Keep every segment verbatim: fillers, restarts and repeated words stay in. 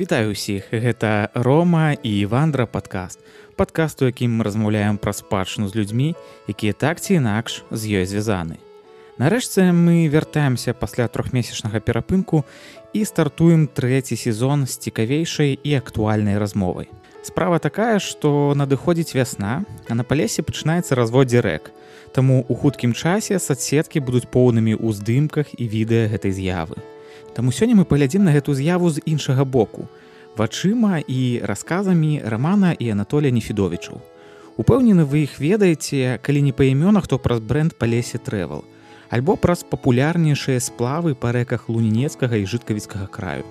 Вітаю ўсіх, гэта Рома і Івандра падкаст. Падкаст, у якім мы размаўляем пра спадчыну з людзьмі, якія так ці інакш з ёй звязаны. Нарэшце мы вяртаемся пасля трохмесячнага перапынку і стартуем трэці сезон з цікавейшай і актуальнай размовай. Справа такая, што надыходзіць вясна, а на палесе пачынаецца разводдзе рэк. Таму ў хуткім часе сацсеткі будуць поўнымі ў здымках і відэа гэтай з'явы. Таму сёння мы паглядзім на гэту з'яву з іншага боку, вачыма і расказамі Рамана і Анатолія Нефідовічаў. Упэўнены, вы іх ведаеце, калі не па імёнах, то праз брэнд Палесе Трэвел, альбо праз папулярнейшыя сплавы па рэках Лунінецкага і Жыткавіцкага краю.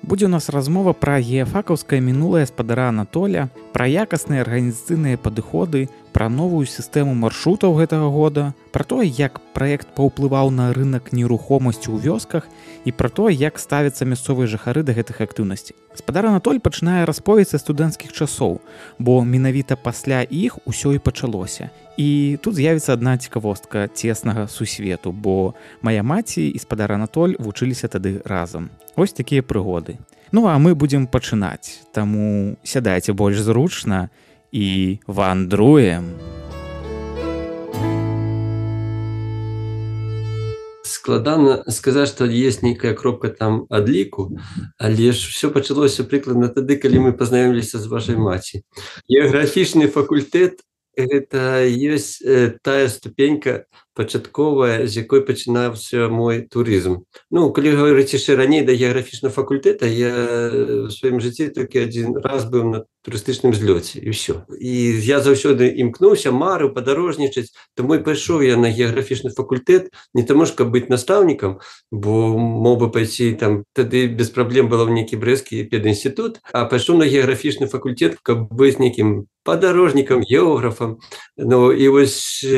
Будзе ў нас размова пра геафакаўскае мінулае спадара Анатоля, пра якасныя арганізацыйныя падыходы, пра новую сістэму маршрутаў гэтага года, пра тое, як праект паўплываў на рынак нерухомасці ў вёсках і пра тое, як ставяцца мясцовыя жыхары да гэтых актыўнасцей. Спадар Анатоль пачынае расповедь са студэнцкіх часоў, бо менавіта пасля іх усё і пачалося. І тут з'явіцца адна цікавостка цеснага сусвету, бо мая маці і спадар Анатоль вучыліся тады разам. Вось такія прыгоды. Ну а мы будзем пачынаць, таму сядайце больш зручна і вандруем. Складана сказаць, што ёсць нейкая кропка там адліку, але ж все пачалося прыкладна тады, калі мы пазнаёміліся з вашай маці. Геаграфічны факультэт – гэта ёсць тая ступенька пачатковая, з якой пачынаўся мой турызм. Ну, калі гаварыць яшчэ раней да геаграфічнага факультэта, я ў сваім жыцці толькі адзін раз быў на турыстычным злёце, і ўсё. І я заўсёды імкнуўся, марыў падарожнічаць, таму і пайшоў я на геаграфічны факультэт, не таму ж, каб быць настаўнікам, бо мог бы пайсці там, тады без праблем было ў нейкі брэсцкі педінстытут, а пайшоў на геаграфічны факультэт, каб быць нейкім падарожнікам, географам. Ну, і вось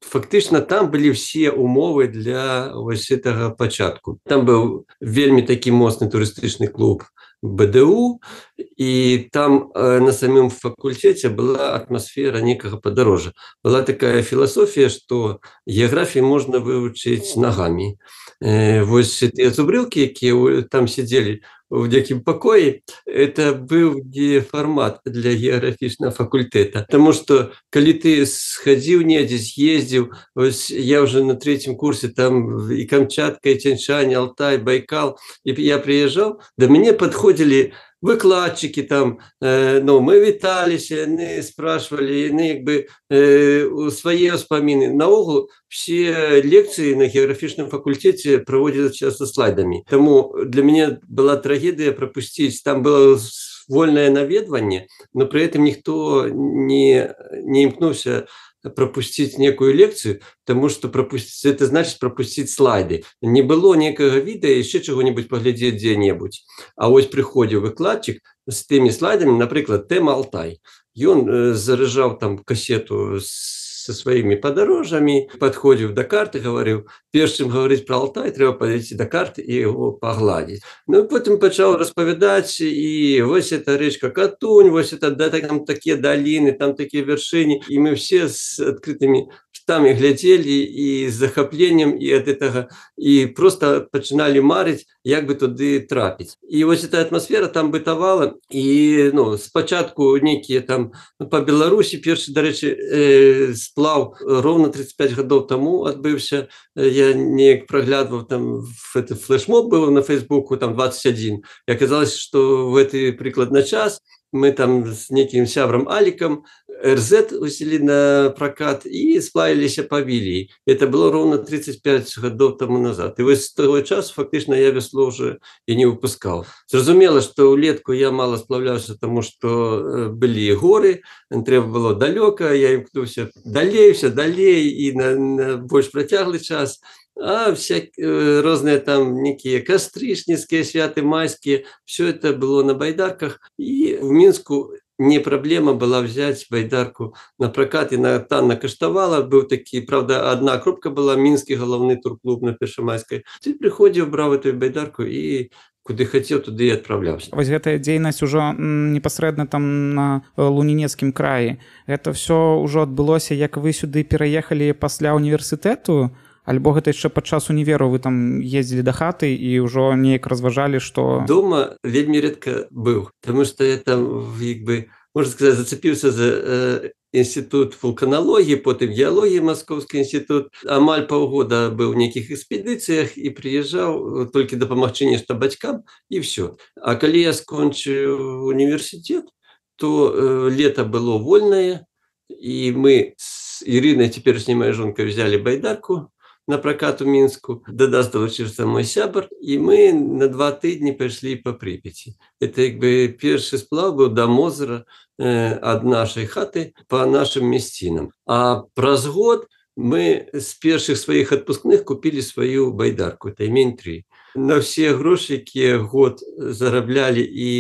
фактычна там былі ўсе умовы для вось гэтага пачатку. Там быў вельмі такі моцны турыстычны клуб бэ дэ у, і там э, на самім факультэце была атмасфера нейкага падарожжа. Была такая філасофія, што геаграфію можна вывучыць нагамі. Э, вось тыя зубрылкі, якія там сядзелі в некім пакоі, это быў не фармат для геаграфічнага факультэта. Таму што, калі ты схадзіў недзе, з'ездзіў, ось я ўжо на трэцім курсе, там і Камчатка, і Цяньшань, Алтай, Байкал, і я прыязджаў, да мяне падходзілі выкладчыкі там, э, ну, мы віталіся, яны спрашвалі, яны як бы э, свае ўспаміны. Наогул, все лекцыі на геаграфічным факультэце праводзіліся часта слайдамі. Таму для мяне была трагедыя прапусціць, там было вольнае наведванне, но пры гэтым ніхто не, не імкнуўся пропусціць некую лекцыю, таму што пропусціць, это значыць пропусціць слайды. Не было некага відэа, яшчэ чаго-небудзь паглядзець дзе-небудзь. А вось прыходзіў выкладчык з тымі слайдамі, напрыклад, тэма Алтай. Ён э, заражаў там касету со сваімі падарожжамі, падходзіў да карты, гаварыў, перш чым гаварыць пра Алтай, трэба падысці да карты і яго пагладзіць. Ну, потым пачаў распавядаць, і вось эта рэчка Катунь, вось это, да, там такія даліны, там такія вяршыні, і мы все з адкрытымі ртамі глядзелі і з захапленнем і ад гэтага, і проста пачыналі марыць, як бы туды трапіць. І вось эта атмасфера там бытавала, і, ну, спачатку нейкія там, ну, па Беларусі першы, дарэчы, э, сплаў роўна тридцать пять гадоў таму адбыўся. Я неяк праглядваў, там флешмоб быў на Фейсбуку, там двадцать один. І аказалось, што в гэты прыкладна час мы там з некім сябрам Алікам эр зет усілі на пракат і сплавіліся па Віліі. Это было роўна тридцать пять гадоў таму назад. І вось з таго часу фактычна я вясло ўжо і не выпускаў. Зразумела, што ўлетку я мала сплаўляўся, таму што былі горы, трэба было далёка, я імкнуўся далей, все далей і на, на больш працяглы час. А всяк, розныя там некія кастрычніцкія святы, майскія, все это было на байдарках, і в Мінску не праблема была взять байдарку на пракат, і на танна каштавала, быў такі, правда, адна кропка была, мінскі галаўны турклуб на Першамайскай. Ты прыходзіў, браў эту байдарку і куды хацеў, туды і адпраўляўся. Вось гэтая дзейнасць ужо непасрэдна там на Лунінецкім краі. Гэта ўсё ўжо адбылося, як вы сюды пераехалі пасля універсітэту? Альбо гэта яшчэ падчас універу вы там ездзілі да хаты і ўжо неяк разважалі, што Дома вельмі редко быў, потому что я там як бы, можна сказаць, зацепіўся за э, інстытут вулканалогіі, потым геалогіі Маскоўскі інстытут. Амаль паўгода быў у нейкіх экспедыцыях і прыязджаў толькі дапамагчы нешта бацькам і все. А калі я скончыў універсітэт, то э, лето было вольнае, і мы з Ірынай, цяперашняй маёй жонкай, взяли байдарку на прокат у Мінску. Да нас долучыўся мой сябар, і мы на два тыдні пайшлі па Прыпяці. Это як бы першы сплаў быў да Мозыра э, ад нашай хаты па нашым мясцінам. А праз год мы з першых сваіх адпускных купілі сваю байдарку Таймень три. На все грошы, якія год зараблялі, і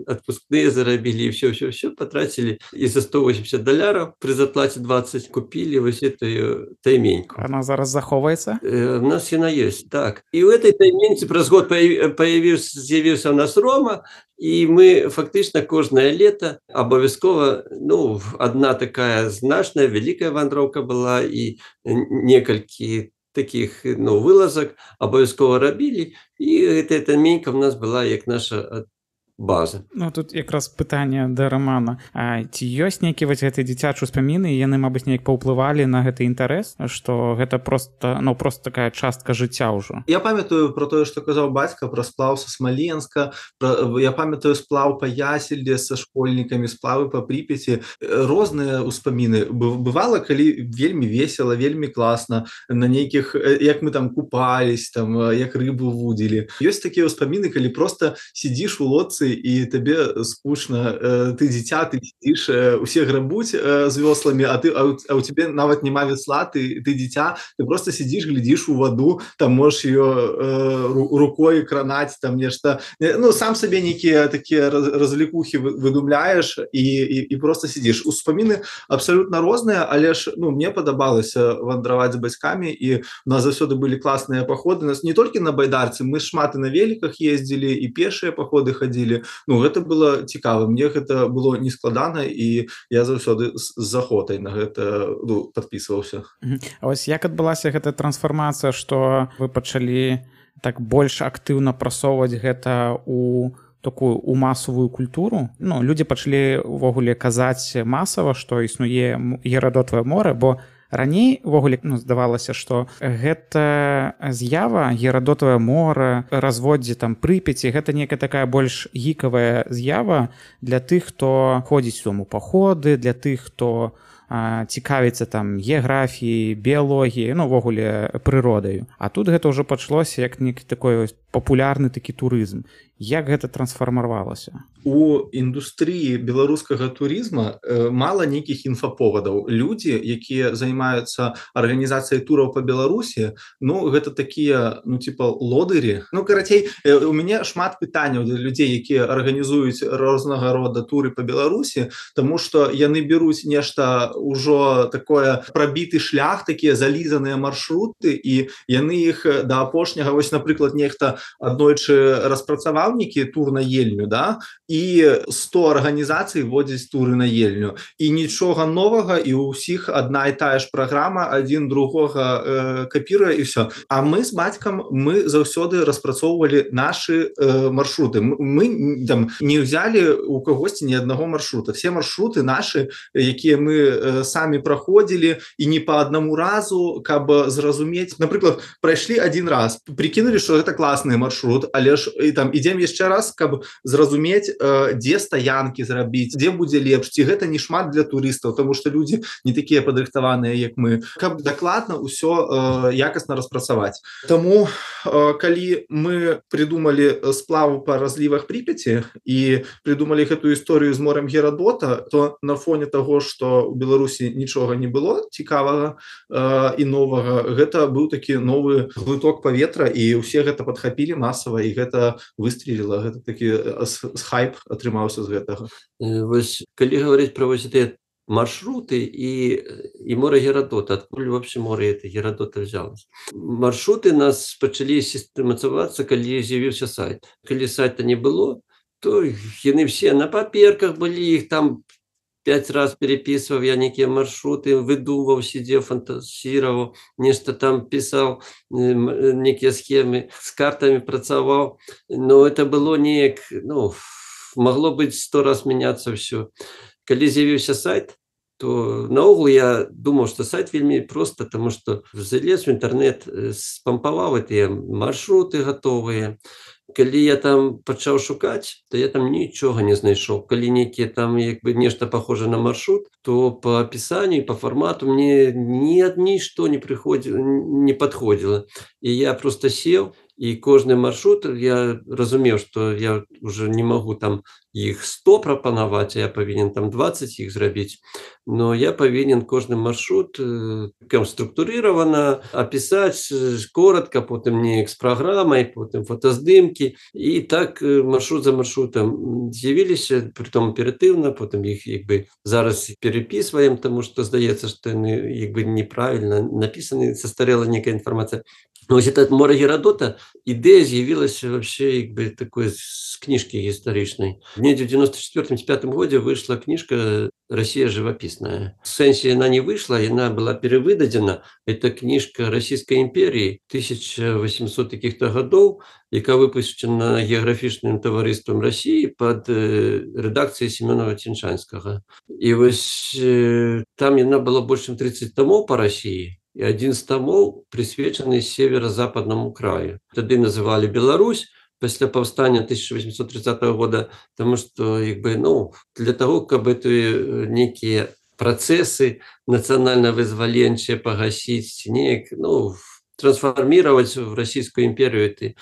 адпускныя зарабілі, і все, все, все патрацілі. І за сто восемьдесят даляраў пры заплаце двадцать купілі вось эту тайменьку. Она зараз захоўваецца? Э, у нас яна ёсць, так. І ў этой тайменьцы праз год появіўся, з'явіўся у нас Рома, і мы фактычна кожнае лета абавязкова, ну, адна такая значная, вялікая вандроўка была, і некалькі таких, ну, вылазок абавязкова рабілі, і гэтая тайменька у нас была як наша база. Ну, тут якраз пытанне да Романа. А ці ёсць нейкія вось гэтыя дзіцячыя ўспаміны, і яны, мабыць, неяк паўплывалі на гэты інтарэс, што гэта просто, ну, просто такая частка жыцця ўжо? Я памятаю про тое, што казаў бацька, пра сплаў са Смаленска, пра, я памятаю сплаў па Ясельле са школьнікамі, сплавы па Прыпяці. Розныя ўспаміны. Бывала, калі вельмі весела, вельмі класна, на нейкіх, як мы там купались, там, як рыбу вудзілі. Ёсць такія ўспаміны, калі просто сидзіш у лодцы, і табе скучна, ты дзіця, ты сидзіш, усе грабуць з вёсламі, а ты, а у цябе нават няма весла, ты, ты дзіця, ты просто сидзіш, глядзіш у ваду, там можаш ее э, рукой кранаць, там нешта, ну, сам сабе нейкія такія развлекухі выдумляеш і, і, і просто сидзіш. Успаміны абсалютна розныя, але ж, ну, мне падабалася вандраваць з бацькамі, і у нас заўсёды былі класныя паходы, нас не толькі на байдарцы, мы шмат і на веліках ездзілі, і пешыя паходы хадзілі. Ну, гэта было цікава, мне гэта было нескладана, і я заўсёды з захотай на гэта, ну, падпісваўся. А вось як адбылася гэтая трансфармацыя, што вы пачалі так больш актыўна прасоўваць гэта у такую у масавую культуру? Ну, людзі пачалі увогуле казаць масава, што існуе Герадотавае мора, бо раней увогуле, ну, здавалася, што гэта з'ява, Герадотавае мора, разводдзе там Прыпяці, гэта некая такая больш гікавая з'ява для тых, хто ходзіць у паходы, для тых, хто а, цікавіцца там геаграфіяй, біялогіяй, ну, увогуле прыродаю. А тут гэта ўжо пачалося як нейкі такой папулярны такі турызм. Як гэта трансфармавалася? У індустрыі беларускага турызма э, мала нейкіх інфаповадаў. Людзі, якія займаюцца арганізацыяй тураў па Беларусі, ну, гэта такія, ну, типа, лодырі. Ну, карацей, э, у мяне шмат пытанняў для людзей, якія арганізуюць рознага рода туры па Беларусі, таму што яны беруць нешта ўжо такое прабіты шлях, такія залізаныя маршруты, і яны іх да апошняга, вось, напрыклад, нехта аднойчы распрацаваў нейкі тур на Ельню, да, і сто арганізацый водзяць туры на Ельню. І нічога новага, і ў ўсіх адна і тая ж праграма, адзін другога э, капіруе, і все. А мы з бацькам, мы заўсёды распрацоўвалі нашы э, маршруты. Мы, мы там не ўзялі у кагосьці ні аднаго маршрута. Все маршруты нашы, якія мы э, самі праходзілі, і не па аднаму разу, каб зразумець. Напрыклад, прайшлі адзін раз, прикінулі, што гэта класны маршрут, але ж і там ідзем яшчэ раз, каб зразумець, э, дзе стаянкі зрабіць, дзе будзе лепш, ці гэта не шмат для турыстаў, таму што людзі не такія падрыхтаваныя, як мы, каб дакладна ўсё э, якасна распрацаваць. Таму, э, калі мы придумалі сплаву па разлівах Прыпяці і придумалі гэтую історыю з морем Герадота, то на фоне таго, што ў Беларусі нічога не было цікавага э, і новага, гэта быў такі новы глыток паветра, і ўсе гэта падхапілі масава, і гэта выстреліла, гэта такі хайп атрымаўся з гэтага. Вось, калі гаварыць пра вось гэтыя маршруты і, і море Герадота, адкуль вообще море это Герадота взялось? Маршруты нас пачалі сістэматызавацца, калі з'явіўся сайт. Калі сайта не было, то яны все на паперках былі, іх там пять раз переписывал я некие маршруты, выдумывал, сидел, фантазировал, нечто там писал, некие схемы, с картами працавал. Но это было не, ну, могло быть сто раз меняться все. Калі з'явіўся сайт, то наогул я думаў, што сайт вельмі проста, таму што залез в інтэрнэт, спампаваў гэтыя маршруты гатовыя. Калі я там пачаў шукаць, то я там нічога не знайшоў. Калі нейкія там як бы нешта похожа на маршрут, то по апісанню, по фармату мне ні нішто не прыходзіла, не падходзіла. І я просто сеў, і кожны маршрут я разумеў, што я уже не магу там іх сто прапанаваць, а я павінен там двадцать іх зрабіць. Но я павінен кожны маршрут структурировано описать коротко, потым неяк з праграмай, потым фотаздымкі. І так маршрут за маршрутам з'явіліся, притом аператыўна, потым іх як бы зараз перепісваем, тому што здаецца, што яны як бы неправільна напісаны, састарэла некая інфармацыя. Вось это море Герадота, ідэя з'явілася вообще як бы такой з кніжкі гістарычнай. Недзе в девяносто четвёртом — девяносто пятом годзе выйшла кніжка «Россия живописная». В сэнсе она не вышла, она была перевыдадзена. Это книжка Российской империи тысяча восемьсот каких-то годов, яка выпущена географічным таварыствам России под редакцией Семёнова Ціншанскага. И вось там она была больше чем тридцать томов по России. И один из томов присвечены северо-западному краю. Тады называли Беларусь, пасля паўстання тысяча восемьсот тридцатого года, потому что як бы, ну, для того, каб это некие процессы национально-вызваленчыя погасить, неяк, ну, трансформировать в Российскую империю этот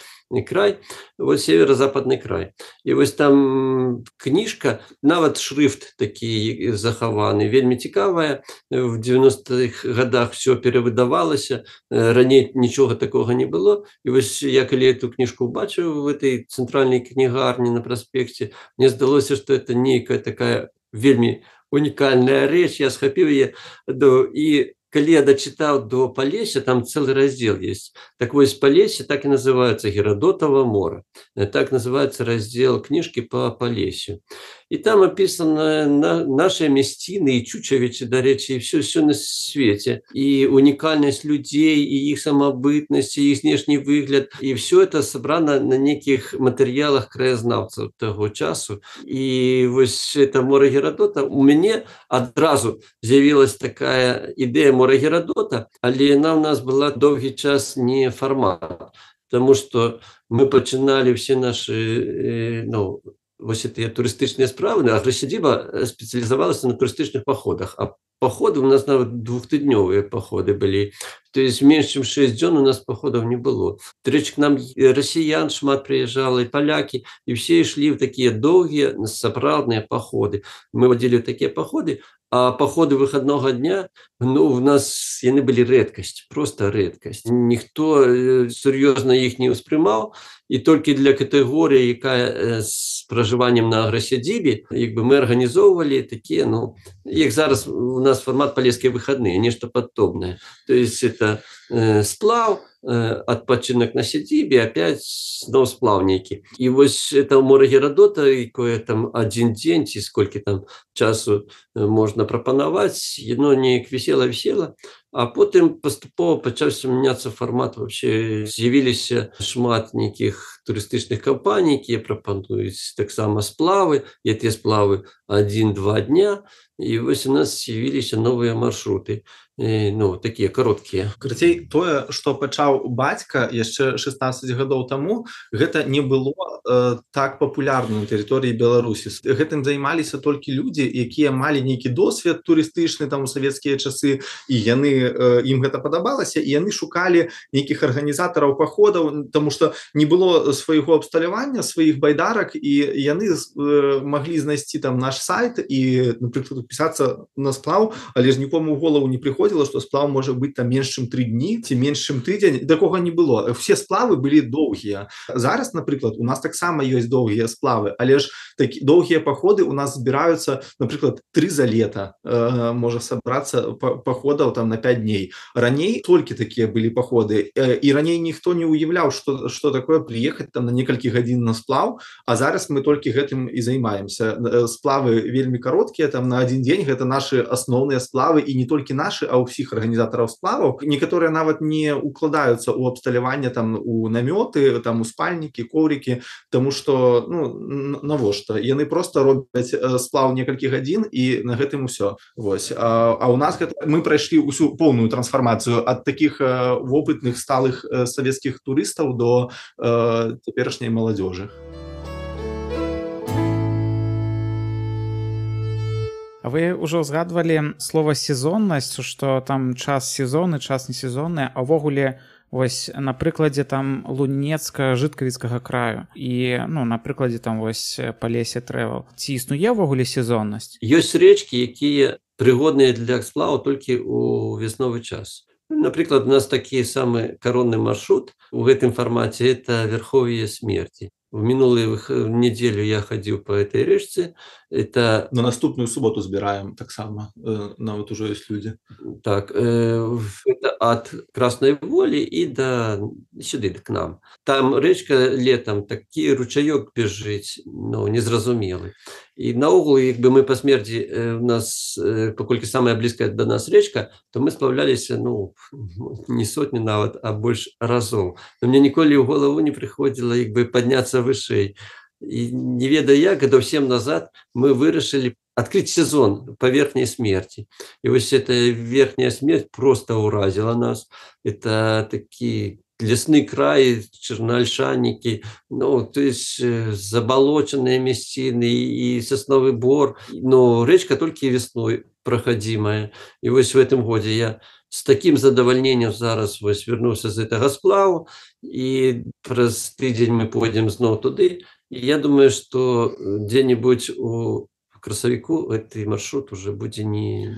край, вот северо-западный край. И вот там книжка, нават шрифт такі захаваны, вельмі цікавая. В девяностых годах все перавыдавалася, раней нічога такого не было. И вот я калі эту книжку убачыў в этой центральной книгарне на проспекте, мне здалося, что это некая такая вельмі уникальная рэч. Я схапіў яе, и калі я дочитал до Полесья, там целый раздел есть. Так вот, Полесье так и называется, Геродотово море. Так называется раздел книжки по Полесью. И там описано на, наши местины и Чучевичи, до речи, и все, все на свете. И уникальность людей, и их самобытность, и их внешний выгляд. И все это собрано на неких материалах краезнавцев того часу. И вот это море Геродота у меня одразу з'явилась такая идея море Геродота, але она у нас была долгий час не формат. Потому что мы починали все наши, ну, вось этыя турыстычныя справы, а Грасядзіба спецыялізавалася на турыстычных паходах. А паходы у нас нават двухтыднёвыя паходы былі. То есть меньше чем шесть дзён у нас походов не было. К нам россиян шмат приезжало, и поляки, и все шли в такие долгие, сапраўдныя походы. Мы водили такие походы, а походы выходного дня, ну, у нас яны были редкость, просто редкость. Никто серьезно их не успрымал, и только для категории, якая с проживанием на Грасядзібе, як бы мы организовывали такие, ну, их зараз у нас формат полесские выходные, нечто подобное. То есть это э, сплав, э, отпочинок на сядзібе, опять снова сплав некий. И вот это море Геродота, якое там один день, и сколько там часу можно пропановать, оно не висело-висело. А потым паступова пачаўся мяняцца фармат. Вообще з'явіліся шмат нейкіх турыстычных кампаній, якія прапануюць таксама сплавы, і тыя сплавы один-два дня. І вось у нас з'явіліся новыя маршруты, ну, такія кароткія. Карацей, тое, што пачаў бацька яшчэ шестнадцать гадоў таму, гэта не было э, так папулярна на тэрыторыі Беларусі. Гэтым займаліся толькі людзі, якія малі нейкі досвед турыстычны там у савецкія часы, і яны э, ім гэта падабалася, і яны шукалі нейкіх арганізатараў паходаў, таму што не было свайго абсталявання, сваіх байдарак, і яны э, маглі знайсці там наш сайт і, напрыклад, пісацца на сплаў, але ж нікому ў голову не прыходзіла, што сплаў можа быць там менш чым тры дні ці менш чым тыдзень. Такога не было. Все сплавы былі доўгія. Зараз, напрыклад, у нас таксама ёсць доўгія сплавы, але ж такі доўгія паходы у нас збіраюцца, напрыклад, тры за лета э, можа сабрацца паходаў там на пять дней. Раней толькі такія былі паходы, э, і раней ніхто не уяўляў, што, што такое прыехаць там на некалькі гадзін на сплаў, а зараз мы толькі гэтым і займаемся. Сплавы вельмі кароткія, там на один дзень, гэта нашы асноўныя сплавы, і не толькі нашы, а ўсіх арганізатараў сплаваў. Некаторыя нават не укладаюцца ў абсталяванне там у намёты, там у спальнікі, коврікі, тому што ну навошта? Яны просто робяць сплаў некалькі гадзін і на гэтым усё. Вось. А, а у нас гэта, мы прайшлі ўсю поўную трансфармацыю ад такіх э, вопытных сталых э, савецкіх турыстаў до э, цяперашняй маладзёжы. А вы ўжо згадвалі слова сезоннасць, што там час сезонны, час не сезонны, а ўвогуле вось на прыкладзе там лунецка-жыткавіцкага краю і ну на прыкладзе там вось Палесе Travel. Ці існуе ўвогуле сезоннасць? Ёсць рэчкі, якія прыгодныя для сплаву толькі ў весновы час. Напрыклад, у нас такі самы каронны маршрут у гэтым фармаце — это Верховье Смерти. В минулую неделю я ходил по этой речке. Это... На наступную субботу збираем так само. Нам вот уже есть люди. Так, это от Красной Воли и до сюда, к нам. Там речка летом, такий ручаёк бежить, ну, незразумелый. І наогул, якби ми по смерті, у нас, покольки самая близкая до нас речка, то ми сплавлялися, ну, не сотні навіть, а більше разів. Но мені ніколи в голову не приходило, якби, піднятися вище. І не ведаю як, до всім назад ми вирішили открыть сезон по Верхней Смерти. И вот эта Верхняя Смерть просто уразила нас. Это такие лесные краи, черноольшанники, ну, то есть заболоченные местины и сосновый бор. Но речка только весной проходимая. И вот в этом году я с таким задовольнением зараз ось вернувся з этого сплаву, и через тиждень мы пойдем снова туда. И я думаю, что где-нибудь у красавіку гэты маршрут уже будзе не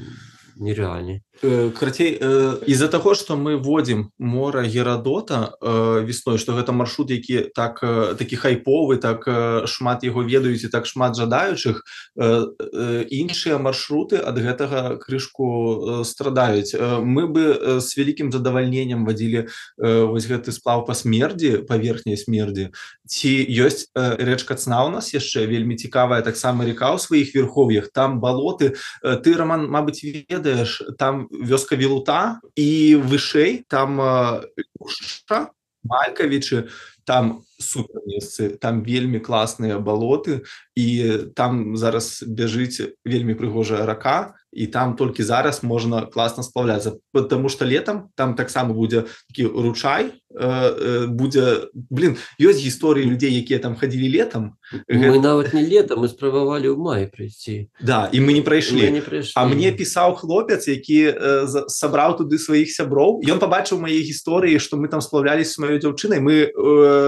нереальны. Карацей, из-за таго, што мы вводзім мора Герадота весной, што гэта маршрут, які так такі хайповы, так шмат яго ведаюць і так шмат жадаючых, іншыя маршруты ад гэтага крышку страдаюць. Мы бы з вялікім задавальненнем вадзілі вось гэты сплаў па смердзі, па Верхняй Смердзі. Ці ёсць рэчка Цна у нас яшчэ вельмі цікавая, таксама рака ў сваіх верхов'ях, там балоты. Ты, Роман, мабыць, ведаеш, там вёска Вілута і вышэй там Лушча, Малькавічы, там супер месцы, там вельмі класныя балоты, і там зараз бяжыць вельмі прыгожая рака, і там толькі зараз можна класна сплавляцца, потому што летом там таксама будзе такі ручай, будзе, блин, ёсць гісторыі людзей, якія там хадзілі летом. Мы нават не летом, мы спрабавалі ў маі прыйсці. Да, і мы не прайшлі. Мы не прайшлі. А мне пісаў хлопец, які сабраў туды сваіх сяброў. Ён пабачыў мае гісторыі, што мы там сплавлялись з маёй дзяўчынай. Мы,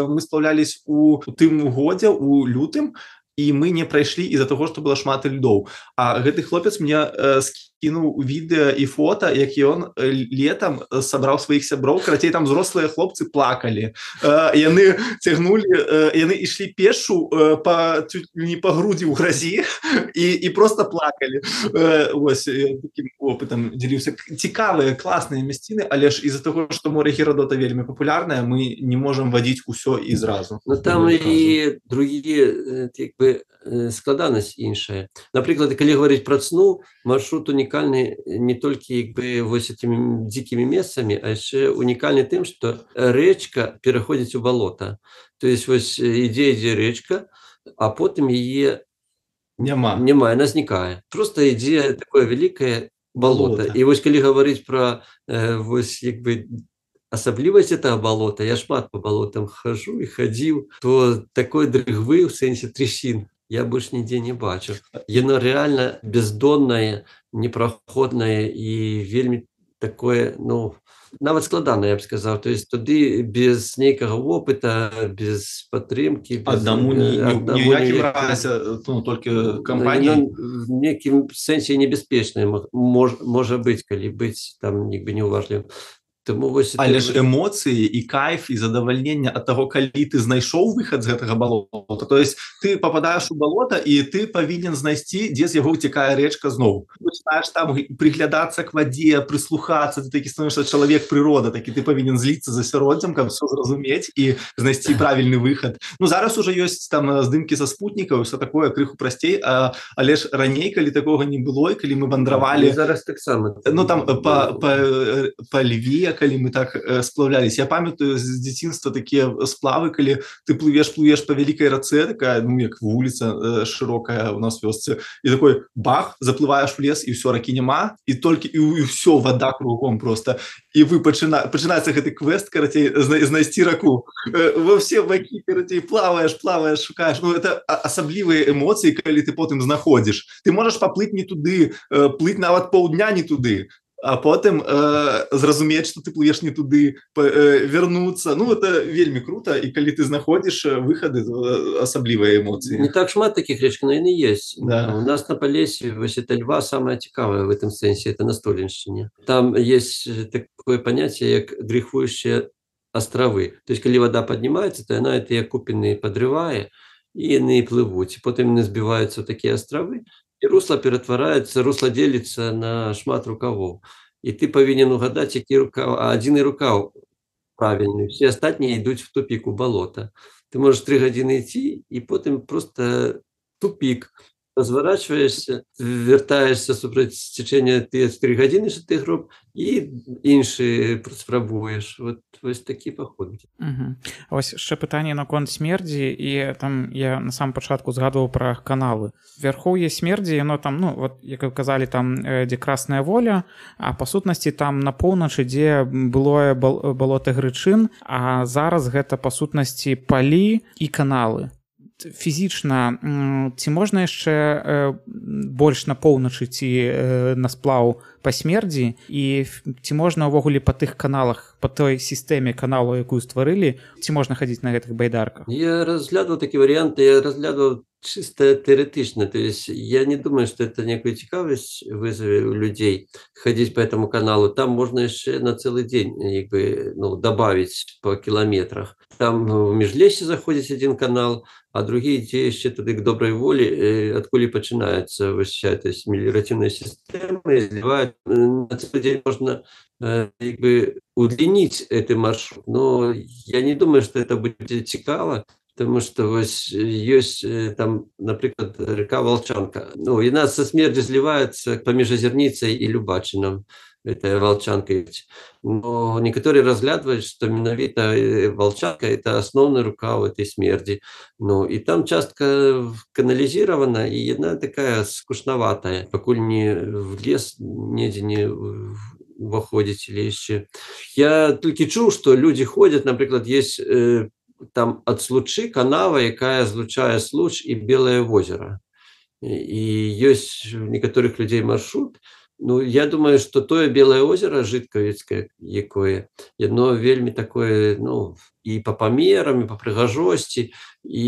мы сплавлялись у тым годзе, у лютым, і мы не прайшлі из-за таго, што было шмат льдоў. А гэты хлопец мне э, скінуў відэа і фота, як ён летом сабраў сваіх сяброў. Карацей, там взрослыя хлопцы плакалі. Э, яны цягнулі, э, яны ішлі пешу э, па, не па грудзі ў гразі і, і просто плакалі. Э, ось, такім опытам дзяліўся. Цікавыя, класныя мясціны, але ж из-за таго, што море Герадота вельмі папулярнае, мы не можам вадзіць усё і зразу. Ну там і другие, як бы, складанасць іншая. Напрыклад, калі говорить про Цну, маршрут унікальны не толькі як бы вось этими дзікімі месцамі, а яшчэ унікальны тым, што рэчка пераходзіць у балота. То есть вось ідзе ідзе рэчка, а потым яе няма. Няма, яна знікае. Просто ідзе такое вялікае балота. І вось калі говорить про э, вось як бы асаблівасць этого болота, я шмат по болотам хожу і хадзіў, то такой дрыгвы ў сэнсе трясін я больш нідзе не бачу. Яно реально бездоннае, непраходнае і вельмі такое, ну, нават складанае, я б сказаў. То есть туды без нейкага опыта, без падтрымкі, без... Аднаму ніякім разе, ну, толькі кампанія. В некім сэнсе небяспечнае мож, можа быць, калі быць там нібы неуважлівым. Таму вось Але ж эмоцыі і кайф і задавальненне ад таго, калі ты знайшоў выхад з гэтага балота. То есть ты попадаеш у балота і ты павінен знайсці, дзе з яго ўцякае рэчка зноў. Пачынаеш там прыглядацца к вадзе, прыслухацца, ты такі становішся чалавек прырода, такі ты павінен зліцца з асяроддзем, каб всё зразумець і знайсці правільны выхад. Ну зараз уже ёсць там здымкі са спутнікаў, усё такое крыху прасцей, а, але ж раней, калі такога не было, і калі мы вандравалі, зараз таксама, ну там па, па, па Льве, калі мы так сплавлялись. Я памятаю з дзяцінства такія сплавы, калі ты плывеш, плывеш па вялікай рацэ, такая, ну, як вуліца шырокая у нас вёсцы, і такой бах, заплываеш в лес, і ўсё, ракі няма, і толькі, і, і ўсё, вада кругом просто. І вы пачына, пачынаецца гэты квест, карацей, знайсці раку. Во все бакі, карацей, плаваеш, плаваеш, шукаеш. Ну, это асаблівыя эмоцыі, калі ты потым знаходзіш. Ты можаш паплыць не туды, плыць нават паўдня не туды, а потым э, зразумець, што ты плывеш не туды, э, вернуцца. Ну, это вельмі круто, і калі ты знаходзіш выхады, асаблівыя эмоцыі. Не так шмат таких рэчак, но яны есть. Да. У нас на Полесье, вось это Льва, самое цікавае в этом сенсе, это на Столинщине. Там есть такое понятие, як дрейфующие островы. То есть, калі вода поднимается, то она это купины подрывае, и яны плывут. И потом яны сбиваются в такие островы, и русло ператвараецца, русло делится на шмат рукавоў. І ты павінен угадаць, які рукаў, а адзіны рукаў правільны. Все астатнія ідуць в тупік у балота. Ты можаш тры гадзіны ісці, і потым просто тупік. Разворачиваешься, вертаешься супраць цячэння тыя тры гадзіны, што ты гроб, і іншыя спрабуеш. Вот вось такі паход. Угу. Ось ще пытанне наконт смердзі, і там я на самом пачатку згадваў пра каналы. Вярхоўе смердзі, яно там, ну, вот, як вы казалі, там, дзе Красная Воля, а па сутнасці там на поўначы, дзе былое балота Грычын, а зараз гэта па сутнасці палі і каналы. Фізічна, ці можна яшчэ больш на поўначы ці на сплаў па смердзі, і ці можна ўвогуле па тых каналах, па той сістэме каналу, якую стварылі, ці можна хадзіць на гэтых байдарках? Я разглядывал такие варианты, я разглядывал чисто теоретично, то есть я не думаю, что это некую цікавость вызове у людей ходить по этому каналу. Там можно еще на целый день как бы, ну, добавить по километрах. Там в Межлесье заходит один канал, а другие те еще туды к доброй воле, откуда починается вся эта мелиоративная система, и изливают. На целый день можно как бы удлинить этот маршрут, но я не думаю, что это будет цікаво. Потому что вось есть там, например, река Волчанка. Ну, и нас со смерти сливается поміж Озерницей и Любачином. Это Волчанка. Но некоторые разглядывают, что менавіта Волчанка – это основная рука в этой смерти. Ну, и там частка канализирована, и она такая скучноватая. Покуль не в лес, недзе не выходить или еще. Я только чуў, что люди ходят, например, есть... там ад Случы канава, якая злучае Случ і Белае возера. І ёсць у некаторых людзей маршрут. Ну, я думаю, што тое Белае озера жыткавіцкае, якое, яно вельмі такое, ну, і па памерам, і па прыгажосці, і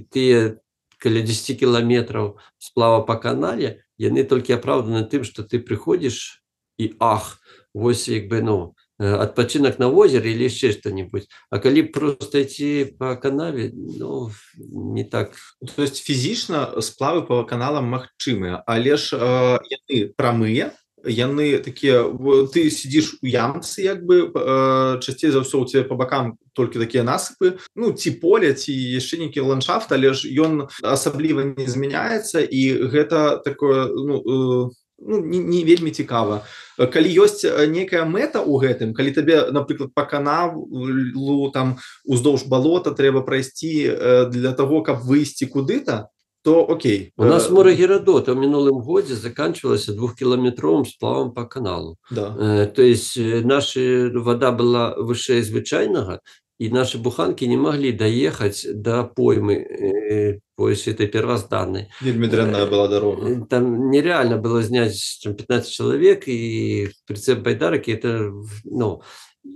тыя каля дзесяці кіламетраў сплава па канале, яны толькі апраўданы тым, што ты прыходзіш і ах, вось як бы, ну, отпочинок на озере или еще что-нибудь. А коли просто идти по канаве, ну, не так. То есть фізічна сплавы по каналам магчымыя, але ж э, яны прамыя, яны такія, ты сидишь у ямцы, як бы, э, часцей за ўсё у тебе по бокам толькі такія насыпы, ну, ці поле, ці яшчэ нейкі ландшафт, але ж ён асабліва не змяняецца, і гэта такое, ну, э, ну, не, не вельмі цікава. Калі ёсць некая мэта ў гэтым, калі табе, напрыклад, па каналу там уздоўж балота трэба прайсці для таго, каб выйсці куды-то, то окей. У нас море Геродота в мінулым годзе заканчивалася двухкилометровым сплавом по каналу. Да. То есть наша вода была вышэй звычайнага, и наши буханки не могли доехать до поймы по этой первозданной. Вельмі дрянная была дорога. Там нереально было снять пятнадцать человек и прицеп байдарок, и это, ну,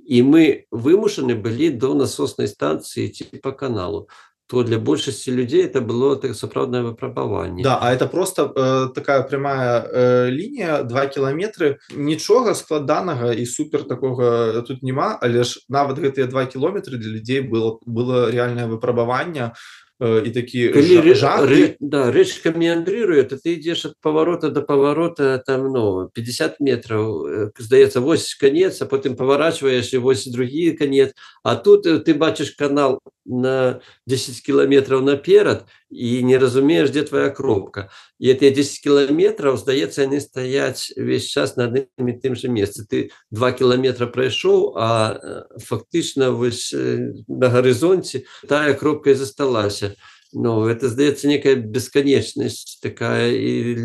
и мы вымушены были до насосной станции идти по каналу. то для большасці людзей это было так сапраўднае выпрабаванне. Да, а это просто э, такая прямая э, лінія, два кіламетры, нічога складанага і супер такога тут няма, але ж нават гэтыя два кіламетры для людзей было, было реальнае выпрабаванне, і такі Калі жах. Рэ, да, рэчка меандрыруе, то ты ідзеш ад паварота до паварота там, ну, пятьдесят метраў, здаецца, вось канец, а потым паварачваеш і вось другі канец, а тут ты бачыш канал на десять кіламетраў наперад і не разумееш, дзе твоя кропка. І гэтыя десять кіламетраў, здаецца, яны стаяць увесь час на адным і тым жа месцы. Ты два кіламетра прайшоў, а фактычна вось на гарызонце тая кропка і засталася. Ну, это, здаецца, некая бесканечнасць такая, і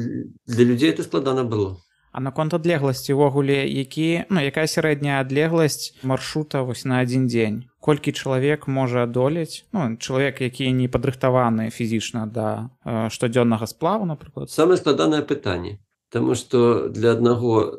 для людзей это складана было. А наконт адлегласці ўвогуле, які, ну, якая сярэдняя адлегласць маршрута вось на адзін дзень? Колькі чалавек можа адолець? Ну, чалавек, які не падрыхтаваны фізічна да э, штодзённага сплаву, напрыклад. Самае складанае пытанне, таму што для аднаго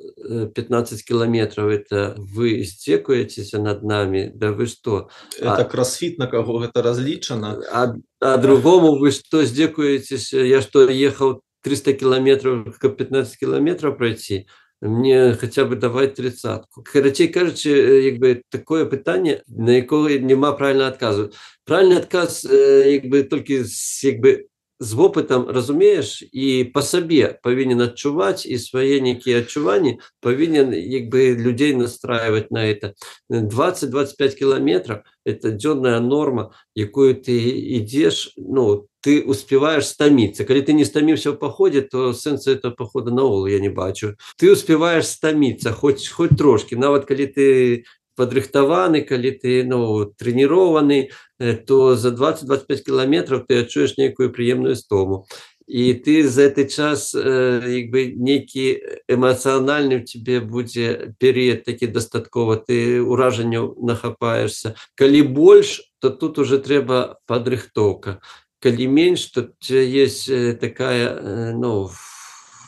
пятнадцать кіламетраў это вы здзекуецеся над намі, да вы што? Это а, кросфіт, на каго гэта разлічана. А, а другому вы што здзекуецеся? Я што, ехаў триста километров, как пятнадцать километров пройти, мне хотя бы давать тридцатку. Короче, кажучи, якби такое питання, на якое нема правильного отказу. Правильний отказ, якби тільки з, якби, з опитом розумієш і по собі повинен відчувати, і своє некі відчування повинен, якби, людей настраювати на це. двадцать-двадцать пять километров – это денная норма, якою ти йдеш, ну, ты успеваешь стомиться. Когда ты не стомился в походе, то сенса этого похода наогул я не бачу. Ты успеваешь стомиться, хоть, хоть трошки. Нават когда ты подрыхтованы, когда ты, ну, тренированный, то за двадцать-двадцать пять километров ты отчуешь некую приемную стому. И ты за этот час, якби, некий эмоциональный в тебе будет период таки достатково, ты ураженню нахапаешься. Коли больше, то тут уже треба подрыхтовка. Коли меньше, то у тебя есть такая, ну...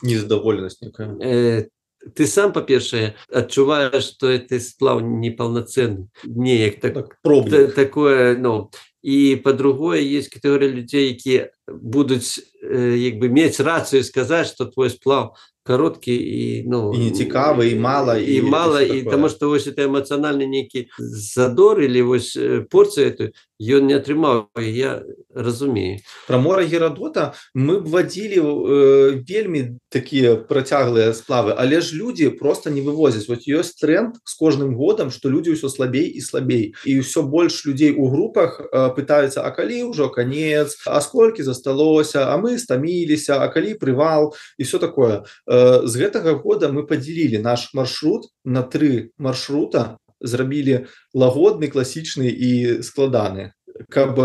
Незадоволенность некая. Э, ты сам, по-перше, отчуваешь, что это сплав неполноценный. Не, так, так, та, такое, ну... И по-другое, есть категория людей, которые будут, э, якби, иметь рацию сказать, что твой сплав короткий и, ну, и не цікавый, и мало, и, и мало, и потому что вот это эмоциональный некий задор или вот порцию эту, ее не отрымал, я разумею. Про мора Геродота мы б водили э, вельми такие протяглые сплавы, але ж люди просто не вывозят. Вот есть тренд с каждым годом, что люди все слабей и слабей, и все больше людей у группах э, пытаются, а коли уже конец, а сколько засталося, а мы стомились, а коли привал, и все такое. З гэтага года мы поделили наш маршрут на три маршрута, зрабілі лагодны, класічны і складаны, каб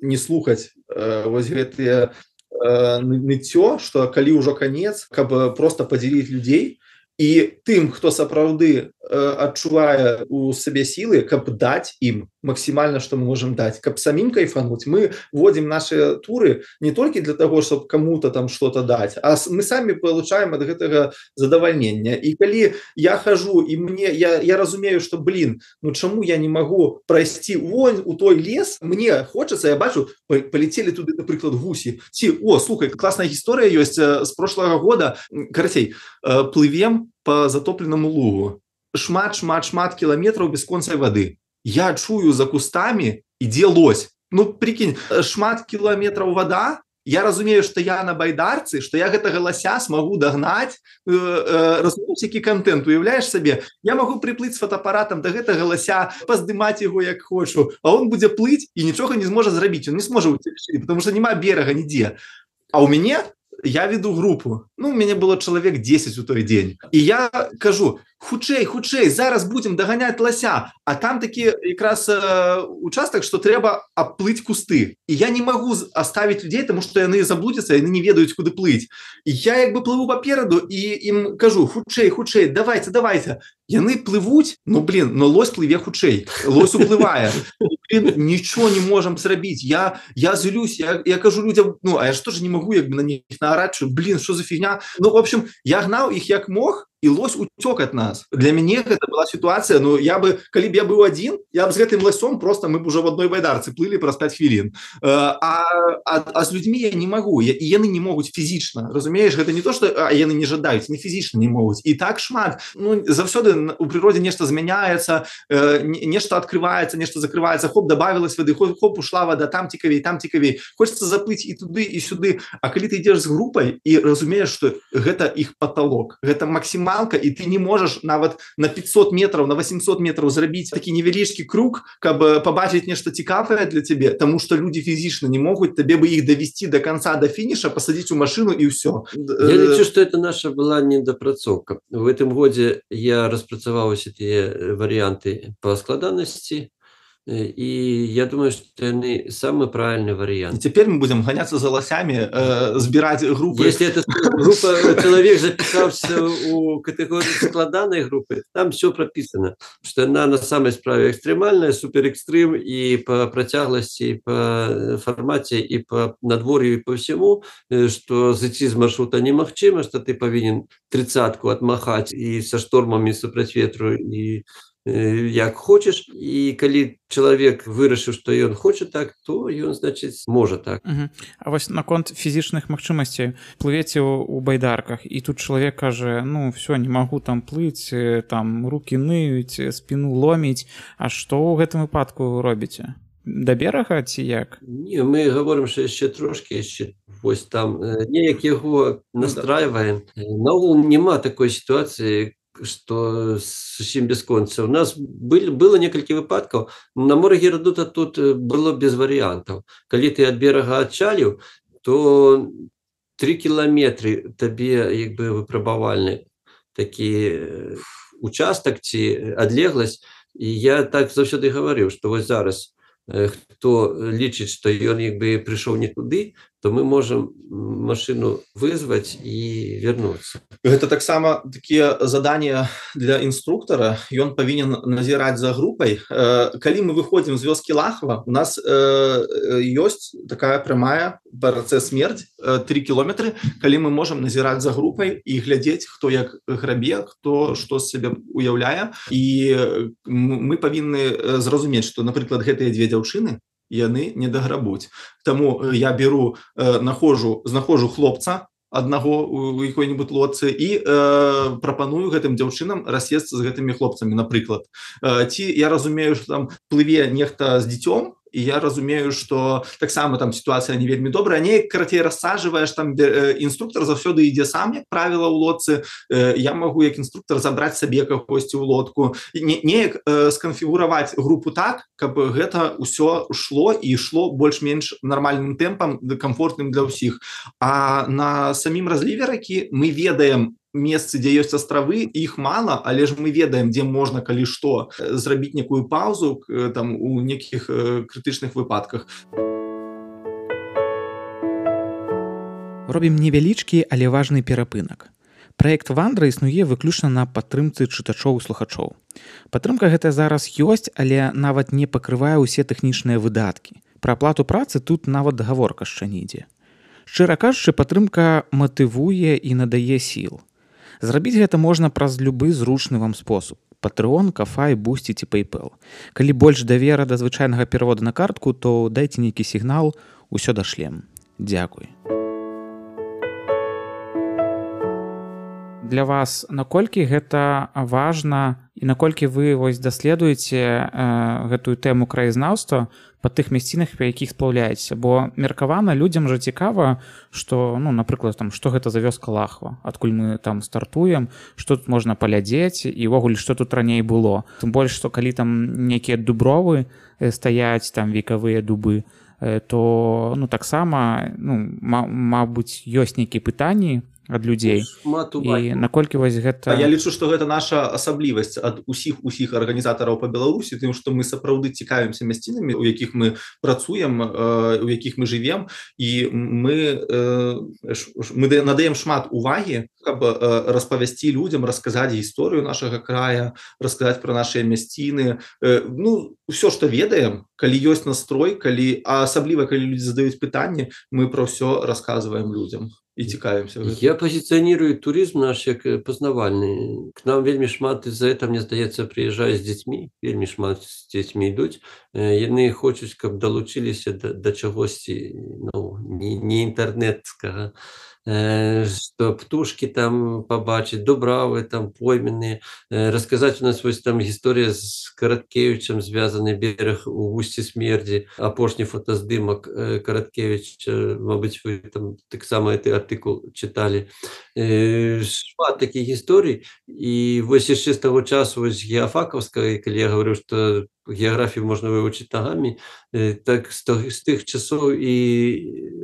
не слухаць вось гэтыя ныццё, што калі ўжо канец, каб просто падзяліць людзей, і тым, хто сапраўды адчувае у сабе сілы, каб даць ім максимально, что мы можем дать, каб самим кайфануть. Мы вводим наши туры не только для того, чтобы кому-то там что-то дать, а мы сами получаем от этого задовольнения. И коли я хожу, и мне, я, я разумею, что, блин, ну чему я не могу пройти вон у той лес, мне хочется, я бачу, полетели туда, например, гуси. Ці, о, слухай, классная история есть с прошлого года. Короче, плывем по затопленному лугу. Шмат, шмат, шмат километров без конца воды. Я чую за кустами, ідзе лось. Ну, прикинь, шмат километров вода, я разумею, что я на байдарцы, что я гэтага лося смогу догнать, э, э, разумеешь, які контент, уявляешь себе? Я могу приплыть с фотоаппаратом до гэтага лося, поздымать его як хочу, а он будет плыть и ничего не сможет зрабіць, он не сможет уцячы, потому что нема берега нигде. А у меня, я веду группу, ну, у меня было человек десять у той день, и я кажу, хутчэй, хутчэй, зараз будем доганяць лося, а там такі якраз э, участок, что трэба обплыть кусты, и я не могу оставить людей, потому что яны заблудятся, яны не ведаюць, куды плыть, и я як бы плыву попереду, и им кажу, хутчэй, хутчэй, давайте, давайте, яны плывуць, ну, блин, но лось плыве хутчэй, лось уплывае, блин, ничего не можем зрабіць, я, я злюсь, я, я кажу людям, ну, а я же тоже не могу як бы на них наорать, что, блин, что за фигня, ну, в общем, я гнал их як мог, і лось уцёк ад нас. Для мяне гэта была сітуацыя, ну я бы, калі б я быў адзін, я б з гэтым ласём просто мы б уже в адной байдарцы плылі праз пяць хвілін. А, а, а з людзьмі я не магу, я, і яны не могуць фізічна. Разумееш, гэта не то, што а, яны не жадаюць, не фізічна не могуць. І так шмат. Ну, заўсёды у прыродзе нешта змяняецца, э, нешта адкрываецца, нешта закрываецца, хоп, добавілась вады, хоп, хоп, ушла вада, там цікавей, там цікавей. Хочется заплыць і туды, і сюды. А калі ты ідзеш з групай і разумееш, што гэта іх паталок, гэта максімальна, і ты не можаш нават на пятьсот метров, на восемьсот метров зрабіць такі невялічкі круг, каб пабачыць нешта цікавае для цябе, таму што людзі фізічна не могуць, табе бы іх давесці до конца, до фініша, пасадзіць у машину і ўсё. Я лічу, што это наша была недапрацоўка. В гэтым годзе я распрацаваў усе тыя варыянты па складанасці, и я думаю, что это самый правильный вариант. И теперь мы будем гоняться за лосями, э, сбирать группы. Если эта группа, человек записался у категории складанной группы, там все прописано, что она на самой справе экстремальная, суперэкстрим и по протяглости, и по формате, и по надворью, и по всему, что зайти с маршрута немагчыма, что ты повинен тридцатку отмахать и со штормами, и супраць ветру, и як хочаш, і калі чалавек вырашыў, што ён хоча так, то ён, значыць, можа так. Угу. А вось наконт фізічных магчымасцей, плывеце ў байдарках, і тут чалавек кажа, ну, все, не магу там плыць, там рукі ныюць, спіну ломіць, а што ў гэтым выпадку робіце? Да берага ці як? Не, мы гаворым, што яшчэ трошкі, яшчэ вось там неяк яго настрайваем. Наогул няма такой сітуацыі, что зусім бясконца. У нас был, было некалькі выпадкаў. На моры Геродота тут было без варыянтаў. Калі ты ад берага адчаліў, то три кіламетры табе як бы выпрабавальны такі участак ці адлегласць. І я так заўсёды гаварыў, што вось зараз хто лічыць, што ён як бы прыйшоў не туды, то мы можем машину вызваць і вярнуцца. Гэта таксама такія задания для інструктара, ён павінен назіраць за групай. Калі мы выходзім з вёскі Лахва, у нас ёсць такая прямая БРЦ «Смерць», три кіламетры, калі мы можам назіраць за групай і глядзець, хто як грабе, хто што з сябе уяўляе. І мы павінны зразумець, што, напрыклад, гэтыя дзве дзяўчыны, яны не даграбуць. Таму я беру, э, нахожу, знаходжу хлопца аднаго у якой-нибудь лодцы і э, прапаную гэтым дзяўчынам рассесці з гэтымі хлопцамі, напрыклад. Э, ці я разумею, што там плыве нехта з дзіцём, і я разумею, што таксама там сітуацыя не вельмі добрая, неяк карацей рассаджваеш, там інструктор заўсёды ідзе сам, як правіла, ў лодцы. Я магу як інструктор забраць сабе кагосьці ў лодку, неяк сканфігураваць групу так, каб гэта ўсё шло і ішло больш-менш нармальным тэмпам, камфортным для ўсіх. А на самім разліве ракі мы ведаем месцы, дзе ёсць астравы, іх мала, але ж мы ведаем, дзе можна, калі што, зрабіць некую паузу там у нейкіх крытычных выпадках. Робім невялічкі, але важны перапынак. Праект «Вандра» існуе выключна на падтрымцы чытачоў і слухачоў. Падтрымка гэтая зараз ёсць, але нават не пакрывае ўсе тэхнічныя выдаткі. Пра аплату працы тут нават гаворка яшчэ не ідзе. Шчыра кажучы, падтрымка матывуе і надае сіл. Зрабіць гэта можна праз любы зручны вам спосаб. Patreon, Ko-fi, Boosty ці PayPal. Калі больш давера да звычайнага пераводу на картку, то дайце нейкі сігнал, усё дашлем. Дзякуй. Для вас наколькі гэта важна і наколькі вы вось даследуеце э, гэтую тэму краязнаўства па тых мясцінах, па якіх сплаўляецеся, бо меркавана людзям жа цікава, што, ну, напрыклад, там, што гэта за вёска Лахва, адкуль мы там стартуем, што тут можна паглядзець і ўвогуле што тут раней было. Тым больш, што калі там нейкія дубровы стаяць, там векавыя дубы, то, ну, таксама, ну, мабыць, ёсць нейкія пытанні ад людзей. І наколькі вось гэта... А я лічу, што гэта наша асаблівасць ад усіх усіх арганізатараў па Беларусі, тым, што мы сапраўды цікавімся мясцінамі, у якіх мы працуем, у якіх мы жывем, і мы, мы надаем шмат увагі, каб распавясці людзям, расказаць гісторыю нашага края, расказаць пра нашыя мясціны. Ну, усё, што ведаем, калі ёсць настрой, калі а асабліва калі людзі задаюць пытанні, мы пра ўсё расказваем людзям і цікавімся гэтым. Я пазіцыянірую турызм наш як пазнавальны. К нам вельмі шмат з-за этого, мне здаецца, прыязджаюць з дзецьмі, вельмі шмат з дзецьмі ідуць. Яны хочуць, каб далучыліся да, да чагосьці, ну, не, не інтэрнэцкага, што птушкі там пабачыць, дубравы там пойменныя, расказаць. У нас вось там гісторыя з Караткевічам звязаны, бераг у вусці смердзі, апошні фотаздымак Караткевіча, мабыць, вы там таксама гэты артыкул чыталі. Шмат такіх гісторый, і вось яшчэ з таго часу вось геафакаўскай, калі я гаварыў, што геаграфію можна вывучыць нагамі, так з тых часоў і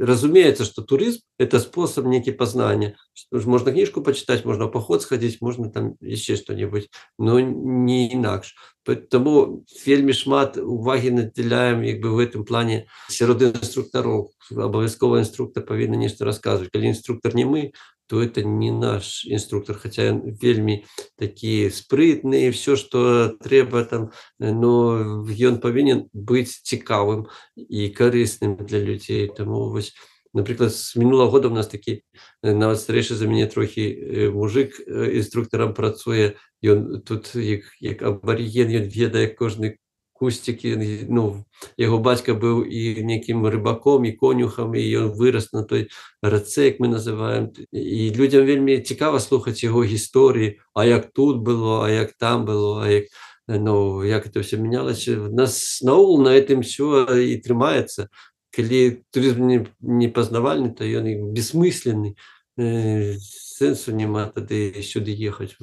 разумеецца, што турызм – это спосаб нейкі пазнання. Можна кніжку пачытаць, можна ў паход схадзіць, можна там яшчэ што-небудзь, но не інакш. Таму вельмі шмат увагі надзяляем як бы в гэтым плане сярод інструктароў. Абавязкова інструктар павінен нешта расказваць. Калі інструктар не мы, то это не наш інструктор, хаця ён вельмі такі спрытны, все, што трэба там, но ён павінен быць цікавым і карысным для людзей. Таму вось, напрыклад, з мінулага года у нас такі нават старэйшы за мяне трохі мужик інструктарам працуе, ён тут як, як абарыген, ён ведае кожны кусцік, ну, яго бацька быў і нейкім рыбаком, і конюхам, і ён вырас на той рацэ, як мы называем. І людзям вельмі цікава слухаць яго гісторыі, а як тут было, а як там было, а як, ну, як это все менялася. У нас наогул на гэтым все і трымаецца. Калі турызм не, не пазнавальны, то ён і бессмысленны. Сэнсу няма тады сюды ехаць.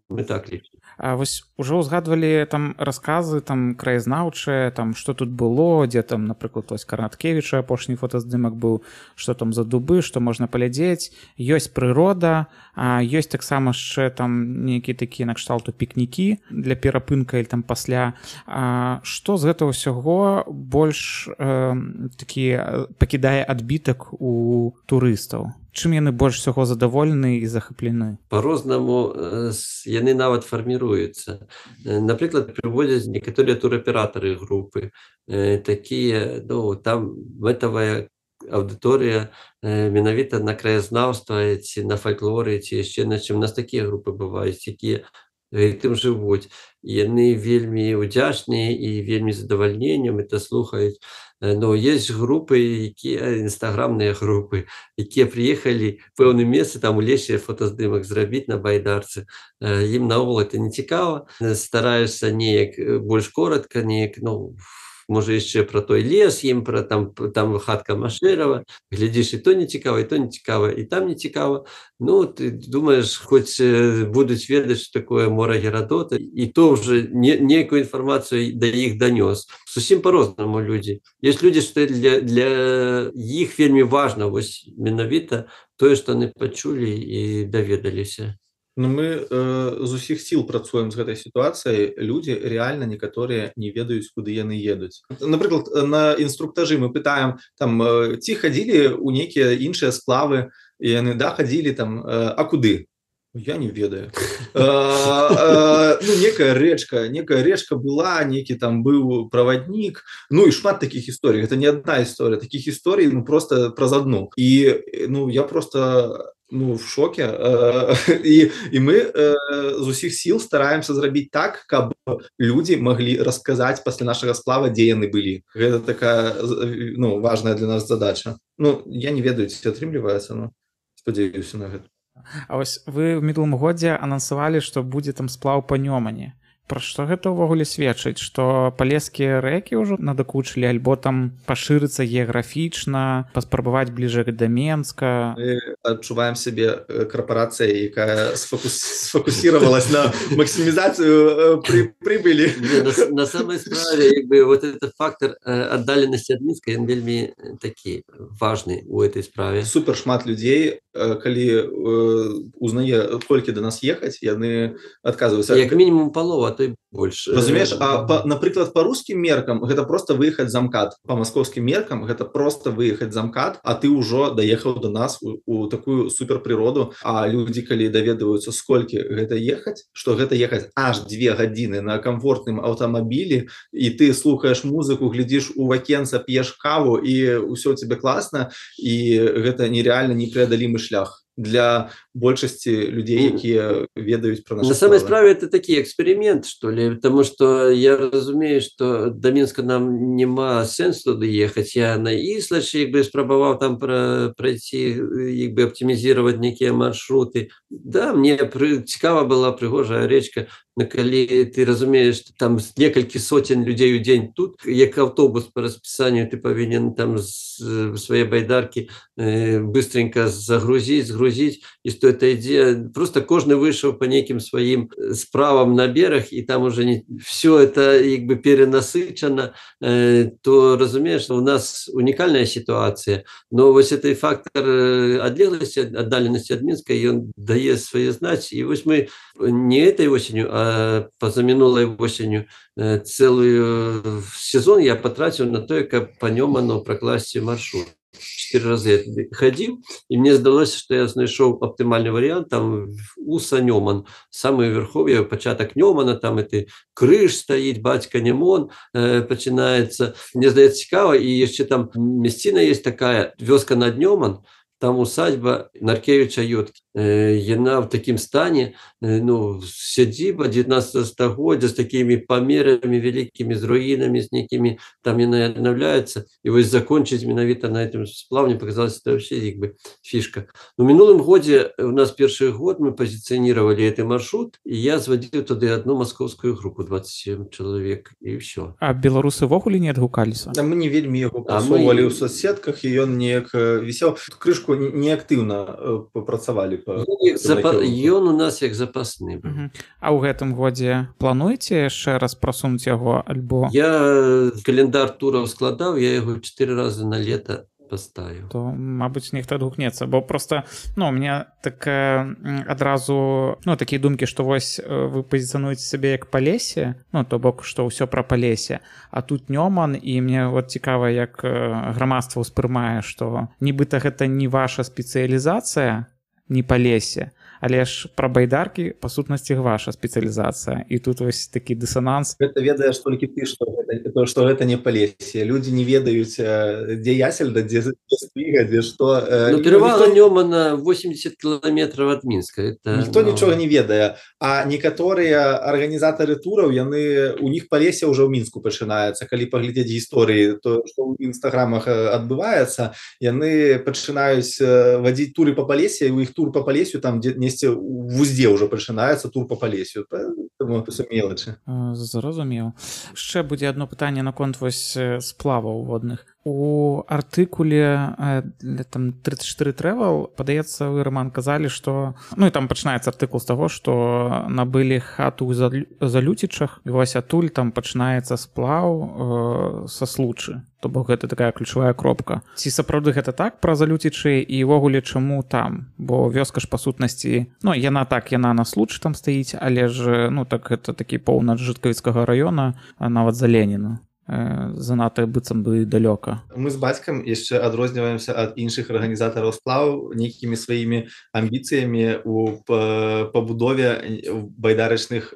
Мы так лічым. А вось ужо ўзгадвалі там расказы там краязнаўчыя, там што тут было, дзе там, напрыклад, вось Караткевіча апошні фотаздымак быў, што там за дубы, што можна паглядзець. Ёсць прырода, а ёсць таксама яшчэ там нейкія такія накшталту пікнікі для перапынка или там пасля. А што з гэтага ўсяго больш э, такі пакідае адбітак у турыстаў? Чым яны больш усяго задаволены і захаплены? По-рознаму яны нават фарміруюцца. Напрыклад, прыводзяць некаторыя тураператары групы, такія, ну, там мэтавая аўдыторыя менавіта на краязнаўства ці на фальклоры, ці яшчэ на чым. У нас такія групы бываюць, якія гэтым жывуць. Яны вельмі ўдзячныя і вельмі задавальненнем это слухаюць. Но есть групы, якія інстаграмныя групы, якія прыехалі в пэўным месцы, там у лесе фотаздымак зрабіць на байдарцы. Ім наогул это не цікава. Стараешся неяк больш коротка, неяк, ну, можа яшчэ пра той лес, ім пра там, там хатка Машэрава, глядзіш, і то не цікава, і то не цікава, і там не цікава. Ну, ты думаеш, хоць будуць ведаць, што такое мора Герадота, і то ўжо не, нейкую інфармацыю да іх данёс. Зусім по-рознаму людзі. Ёсць людзі, што для, для іх вельмі важна вось менавіта тое, што яны пачулі і даведаліся. Ну, мы э, з усіх сіл працуем з гэтай сітуацыяй. Людзі рэальна некаторыя не ведаюць, куды яны едуць. Напрыклад, на інструктажы мы пытаем, там, ці хадзілі ў нейкія іншыя сплавы, і яны, да, хадзілі там, а куды? Я не ведаю. Ну, некая рэчка, некая рэчка была, некі там быў праваднік. Ну, і шмат такіх гісторый. Гэта не адна гісторыя. Такіх гісторый, ну, просто праз адну. І, ну, я просто... ну, в шоке. І, і мы з усіх сіл стараемся зрабіць так, каб людзі маглі расказаць пасля нашага сплава, дзе яны былі. Гэта такая, ну, важная для нас задача. Ну, я не ведаю, ці атрымліваецца, но спадзяюся на гэта. А вось вы ў мінулым годзе анансавалі, што будзе там сплаў па Нёмане. Пра што гэта ўвогуле сведчыць, што палескія рэкі ўжо надакучылі, альбо там пашырыцца геаграфічна, паспрабаваць бліжэй да Менска? Мы адчуваем сябе карпарацыяй, якая сфокус... сфокусировалась на максимизацию при... прибыли. На, на самой справе, як бы, вот этот фактор аддаленасці ад Мінска, ён вельмі такі важны у этой справе. Супер шмат людзей, калі узнае, колькі да нас ехаць, яны адказваюцца. Як мінімум палова то и больше. Разумееш, а па, напрыклад, по русскім меркам гэта просто выехаць за МКАД, по маскоўскім меркам гэта просто выехаць за МКАД, а ты ўжо даехаў до нас у, у такую суперпрыроду, а людзі калі даведваюцца сколькі гэта ехаць, што гэта ехаць аж две гадзіны на комфортным аўтамабілі, і ты слухаеш музыку, глядзіш у вакенца, п'еш каву і ўсё у тебе класна, і гэта нереальна непреодолимый шлях для большасці людей, якія ведаюць про наши на самой справе это такі эксперимент, что ли, потому что я разумею, что до Минска нам нема сенсу туды ехаць. Я на Іслачы як бы спрабаваў там пра, пройти, як бы оптимизировать некие маршруты. Да, мне пры, цікава была прыгожая речка, но калі ты разумеешь, что там некалькі сотен людей у день тут, як автобус по расписанию ты повинен там з своей байдарки э, быстренько загрузить, загрузить, и что это идея, просто кожны вышел по неким своим справам на берег, и там уже не, все это как бы перенасычено, э, то разумеешь, что у нас уникальная ситуация, но вот этот фактор одлеглости, отдаленности от Минска, и он дает свои знать, и вот мы не этой осенью, а позаминулой осенью э, целый сезон я потратил на то, как по нему оно прокласть маршрут. Четыре раза я ходил, и мне сдалось, что я знайшов оптимальный вариант, там Уса Нёман, самое верховье, початок Нёмана, там это крыж стоит, батька Немон э, починается. Мне здається цікаво, и еще там местина есть такая, вёска над Нёман, там усадьба Наркевича Йотки. Яна в таким стане, ну, сядзіба девятнадцатого стагоддзя з такими памерамі великими, з руінамі, з некими, там яна аднаўляецца. И вот закончить менавіта на этом сплаве, мне показалось, это вообще как бы фишка. Но в минулым годе, у нас первый год, мы позиционировали этот маршрут, и я зводил туда одну московскую группу, двадцать семь человек, и все. А беларусы ввогуле не адгукаліся? Да, мы не вельмі яго прасоўвалі мы... ў соцсетках, і ён неяк вісеў. Крышку неактыўна папрацавалі. Запа... Ён у нас як запасны. Uh-huh. А ў гэтым годзе плануеце яшчэ раз прасунуць яго альбо? Я календар тураў складаў, я яго чатыры разы на лета поставіў. То, мабыць, нехта адгукнецца, бо просто, ну, у меня такая адразу, ну, такія думкі, што вось вы пазіцыянуеце сябе як Палесе, ну, то бок, што ўсё пра Палесе, а тут Нёман, і мне вот цікава, як грамадства ўспрымае, што нібыта гэта не ваша спецыялізацыя, не Палесе, але ж пра байдаркі па сутнасці ваша спецыялізацыя, і тут вось такі дысананс. Гэта ведаеш толькі ты, што гэта, то, што гэта не Палесе. Людзі не ведаюць, дзе Ясельда, дзе Спіга, дзе што. Ну, трывала Нёмана восемьдесят кіламетраў ад Мінска. Это, ніхто ну... нічога не ведае. А некаторыя арганізатары тураў, яны, у них Палесе ўжо ў Мінску пачынаецца. Калі паглядзець гісторыі, то, што ў інстаграмах адбываецца, яны пачынаюць вадзіць туры па Палесе, і у іх тур па Палесю там дзе несце в узде уже пачынаецца тур по Палесю, поэтому мелочи. Зразумеў. Яшчэ будзе одно пытанне наконт вось сплаваў водных. У артыкуле там тридцать четыре Travel, падаецца, вы, Роман, казалі, што, ну і там пачынаецца артыкул з таго, што набылі хату ў Залюцічах, і вось атуль там пачынаецца сплаў э, са Случы. То бок гэта такая ключавая кропка. Ці сапраўды гэта так пра Залюцічы, і ўвогуле чаму там? Бо вёска ж па сутнасці, ну яна так, яна на Случы там стаіць, але ж, ну так гэта такі поўнач Жыткавіцкага раёна, а нават за Леніна. Занадта быццам бы далёка. Мы з бацькам яшчэ адрозніваемся ад іншых арганізатараў сплаваў нейкімі сваімі амбіцыямі ў пабудове байдарачных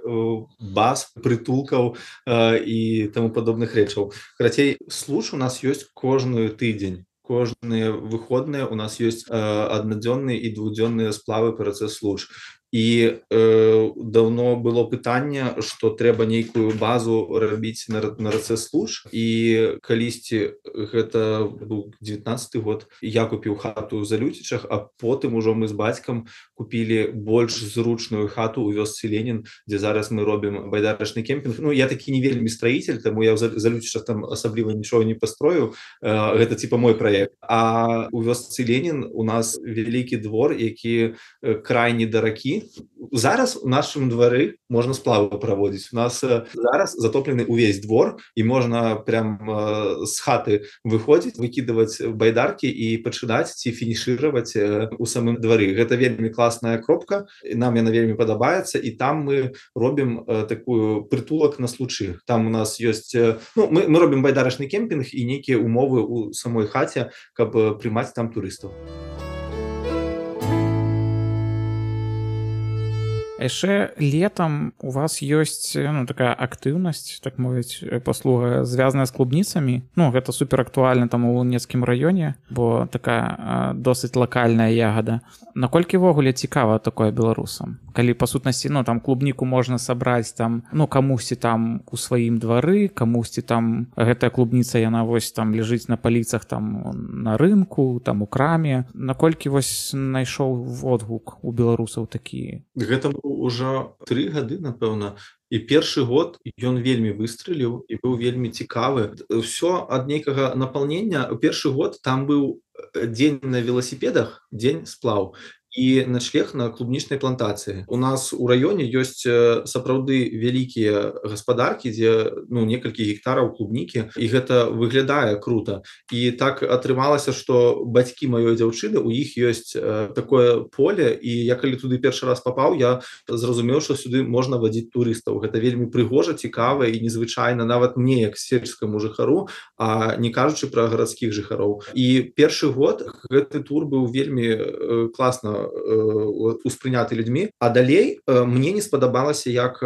баз, прытулкаў і таму падобных рэчаў. Карацей, Случ у нас ёсць кожную тыдзень. Кожныя выходныя у нас ёсць аднадзённыя і двухдзённыя сплавы па рацэ Случ. І э, давно было пытанне, што трэба нейкую базу рабіць на, на рацэ Случ, і калісьці гэта быў девятнадцаты год, я купіў хату ў Залюцічах, а потым ужо мы з бацькам купілі больш зручную хату ў вёсцы Ленін, дзе зараз мы робім байдарачны кемпінг. Ну, я такі не вельмі строитель, таму я ў Залюцічах там асабліва нічога не пастроіў, э, гэта типа мой праект. А ў вёсцы Ленін у нас вялікі двор, які крайні да ракі, людзьмі. Зараз у нашым двары можна сплавы праводзіць. У нас зараз затоплены ўвесь двор, і можна прям з хаты выходзіць, выкідваць байдаркі і пачынаць ці фінішыраваць у самым двары. Гэта вельмі класная кропка, нам яна вельмі падабаецца, і там мы робім такую прытулак на случы. Там у нас ёсць, ну, мы, мы робім байдарачны кемпінг і нейкія умовы у самой хаце, каб прымаць там турыстаў. Яшчэ летам у вас ёсць, ну, такая актыўнасць, так мовіць, паслуга, звязаная з клубніцамі. Ну, гэта супер актуальна там у Луцкім раёне, бо такая досыць лакальная ягада. Наколькі ўвогуле цікава такое беларусам? Калі па сутнасці, ну, там клубніку можна сабраць там, ну, камусьці там у сваім двары, камусьці там гэтая клубніца, яна вось там ляжыць на паліцах там на рынку, там у краме. Наколькі вось знайшоў водгук у беларусаў такі? Гэта ўжо тры гады, напэўна. І першы год ён вельмі выстрэліў і быў вельмі цікавы. Усё ад нейкага напаўнення. У першы год там быў дзень на веласіпедах, дзень сплаў і начлег на клубнічнай плантацыі. У нас у раёне ёсць сапраўды вялікія гаспадаркі, дзе, ну, некалькі гектараў клубнікі, і гэта выглядае крута. І так атрымалася, што бацькі маёй дзяўчыны, у іх ёсць такое поле, і я калі туды першы раз папаў, я зразумеў, што сюды можна вадзіць турыстаў. Гэта вельмі прыгожа, цікава і незвычайна нават мне, як сельскаму жыхару, а не кажучы пра гарадскіх жыхароў. І першы год гэты тур быў вельмі класна успрыняты людзьмі, а далей мне не спадабалася, як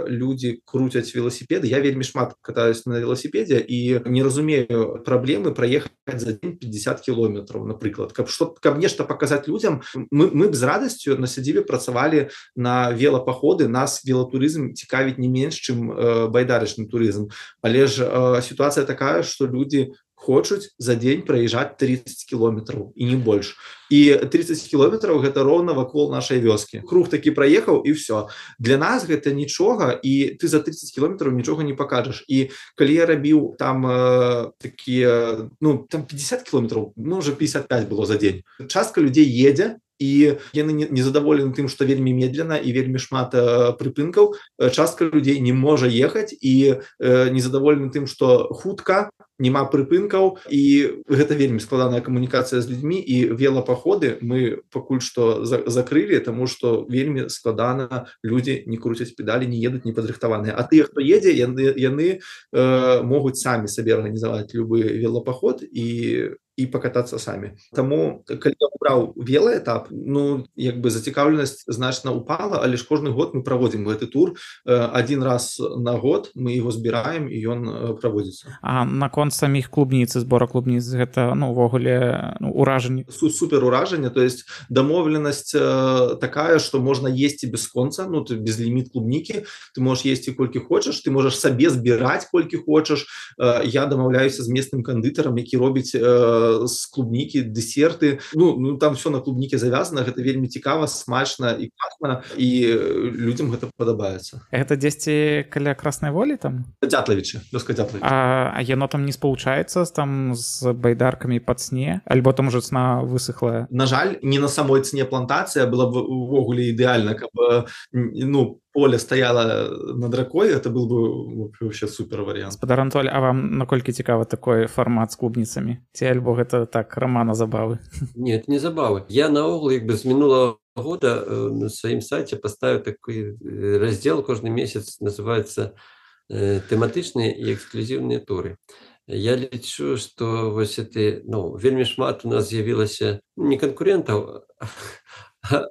людзі круцяць веласіпеды. Я вельмі шмат катаюсь на веласіпедзе і не разумею праблемы праехаць за дзень пятьдесят кіloметраў, напрыклад. Каб, што, каб нешта паказаць людзям, мы, мы б з радасцю на сядзібе працавалі на велапаходы, нас велатурызм цікавіць не менш, чым байдарачны турызм. Але ж сітуацыя такая, што людзі хочуць за дзень праязджаць тридцать кіloметраў і не больш. І тридцать кіloметраў гэта роўна вакол нашай вёскі. Круг такі праехаў і ўсё. Для нас гэта нічога, і ты за тридцать кіloметраў нічога не пакажаш. І калі я рабіў там э, такія, ну, там пятьдесят кіloметраў, ну, уже пятьдесят пять было за дзень. Частка людзей едзе, і яны незадаволены тым, што вельмі медленно і вельмі шмат э, прыпынкаў. Частка людзей не можа ехаць і э, незадаволены тым, што хутка, няма прыпынкаў, і гэта вельмі складаная камунікацыя з людзьмі, і велапаходы мы пакуль што за закрылі, таму што вельмі складана, людзі не круцяць педалі, не едуць непадрыхтаваныя. А тыя, хто едзе, яны, яны э, могуць самі сабе арганізаваць любы велапаход і і пакатацца самі. Таму, калі я браў велаэтап, ну, як бы зацікаўленасць значна упала, але ж кожны год мы праводзім гэты тур. Адзін раз на год мы яго збіраем, і ён праводзіцца. А наконт саміх клубніц, збора клубніц, гэта, ну, увогуле, ну, уражанне? Супер уражанне, то есть дамоўленасць э, такая, што можна есці без конца, ну, ты без ліміт клубнікі, ты можаш есці колькі хочаш, ты можаш сабе збіраць колькі хочаш. Э, я дамаўляюся з местным кандытарам, які робіць э, з клубнікі дэсерты. Ну, ну там все на клубніке завязана, гэта вельмі цікава, смачна і класна, і людзям гэта падабаецца. Гэта дзесьці каля Краснай Волі там? Дзятлавічы, вёска Дзятлавічы. А, а яно там не спалучаецца там з байдаркамі пад сне? Альбо там уже цна высыхлая? На жаль, не на самой цне плантацыя, была б увогуле ідэальна, каб, ну, поле стаяла над ракой, это был бы вообще супер вариант. Спадар Анатоль, а вам наколькі цікавы такой фармат з клубніцамі? Ці альбо гэта так, рамана забавы? Нет, не забавы. Я наогул, як бы з мінулого года на сваім сайце паставіў такой раздзел, кожны месяц называецца тэматычныя і эксклюзіўныя туры. Я лічу, што вось это, ну, вельмі шмат у нас з'явілася не канкурентаў,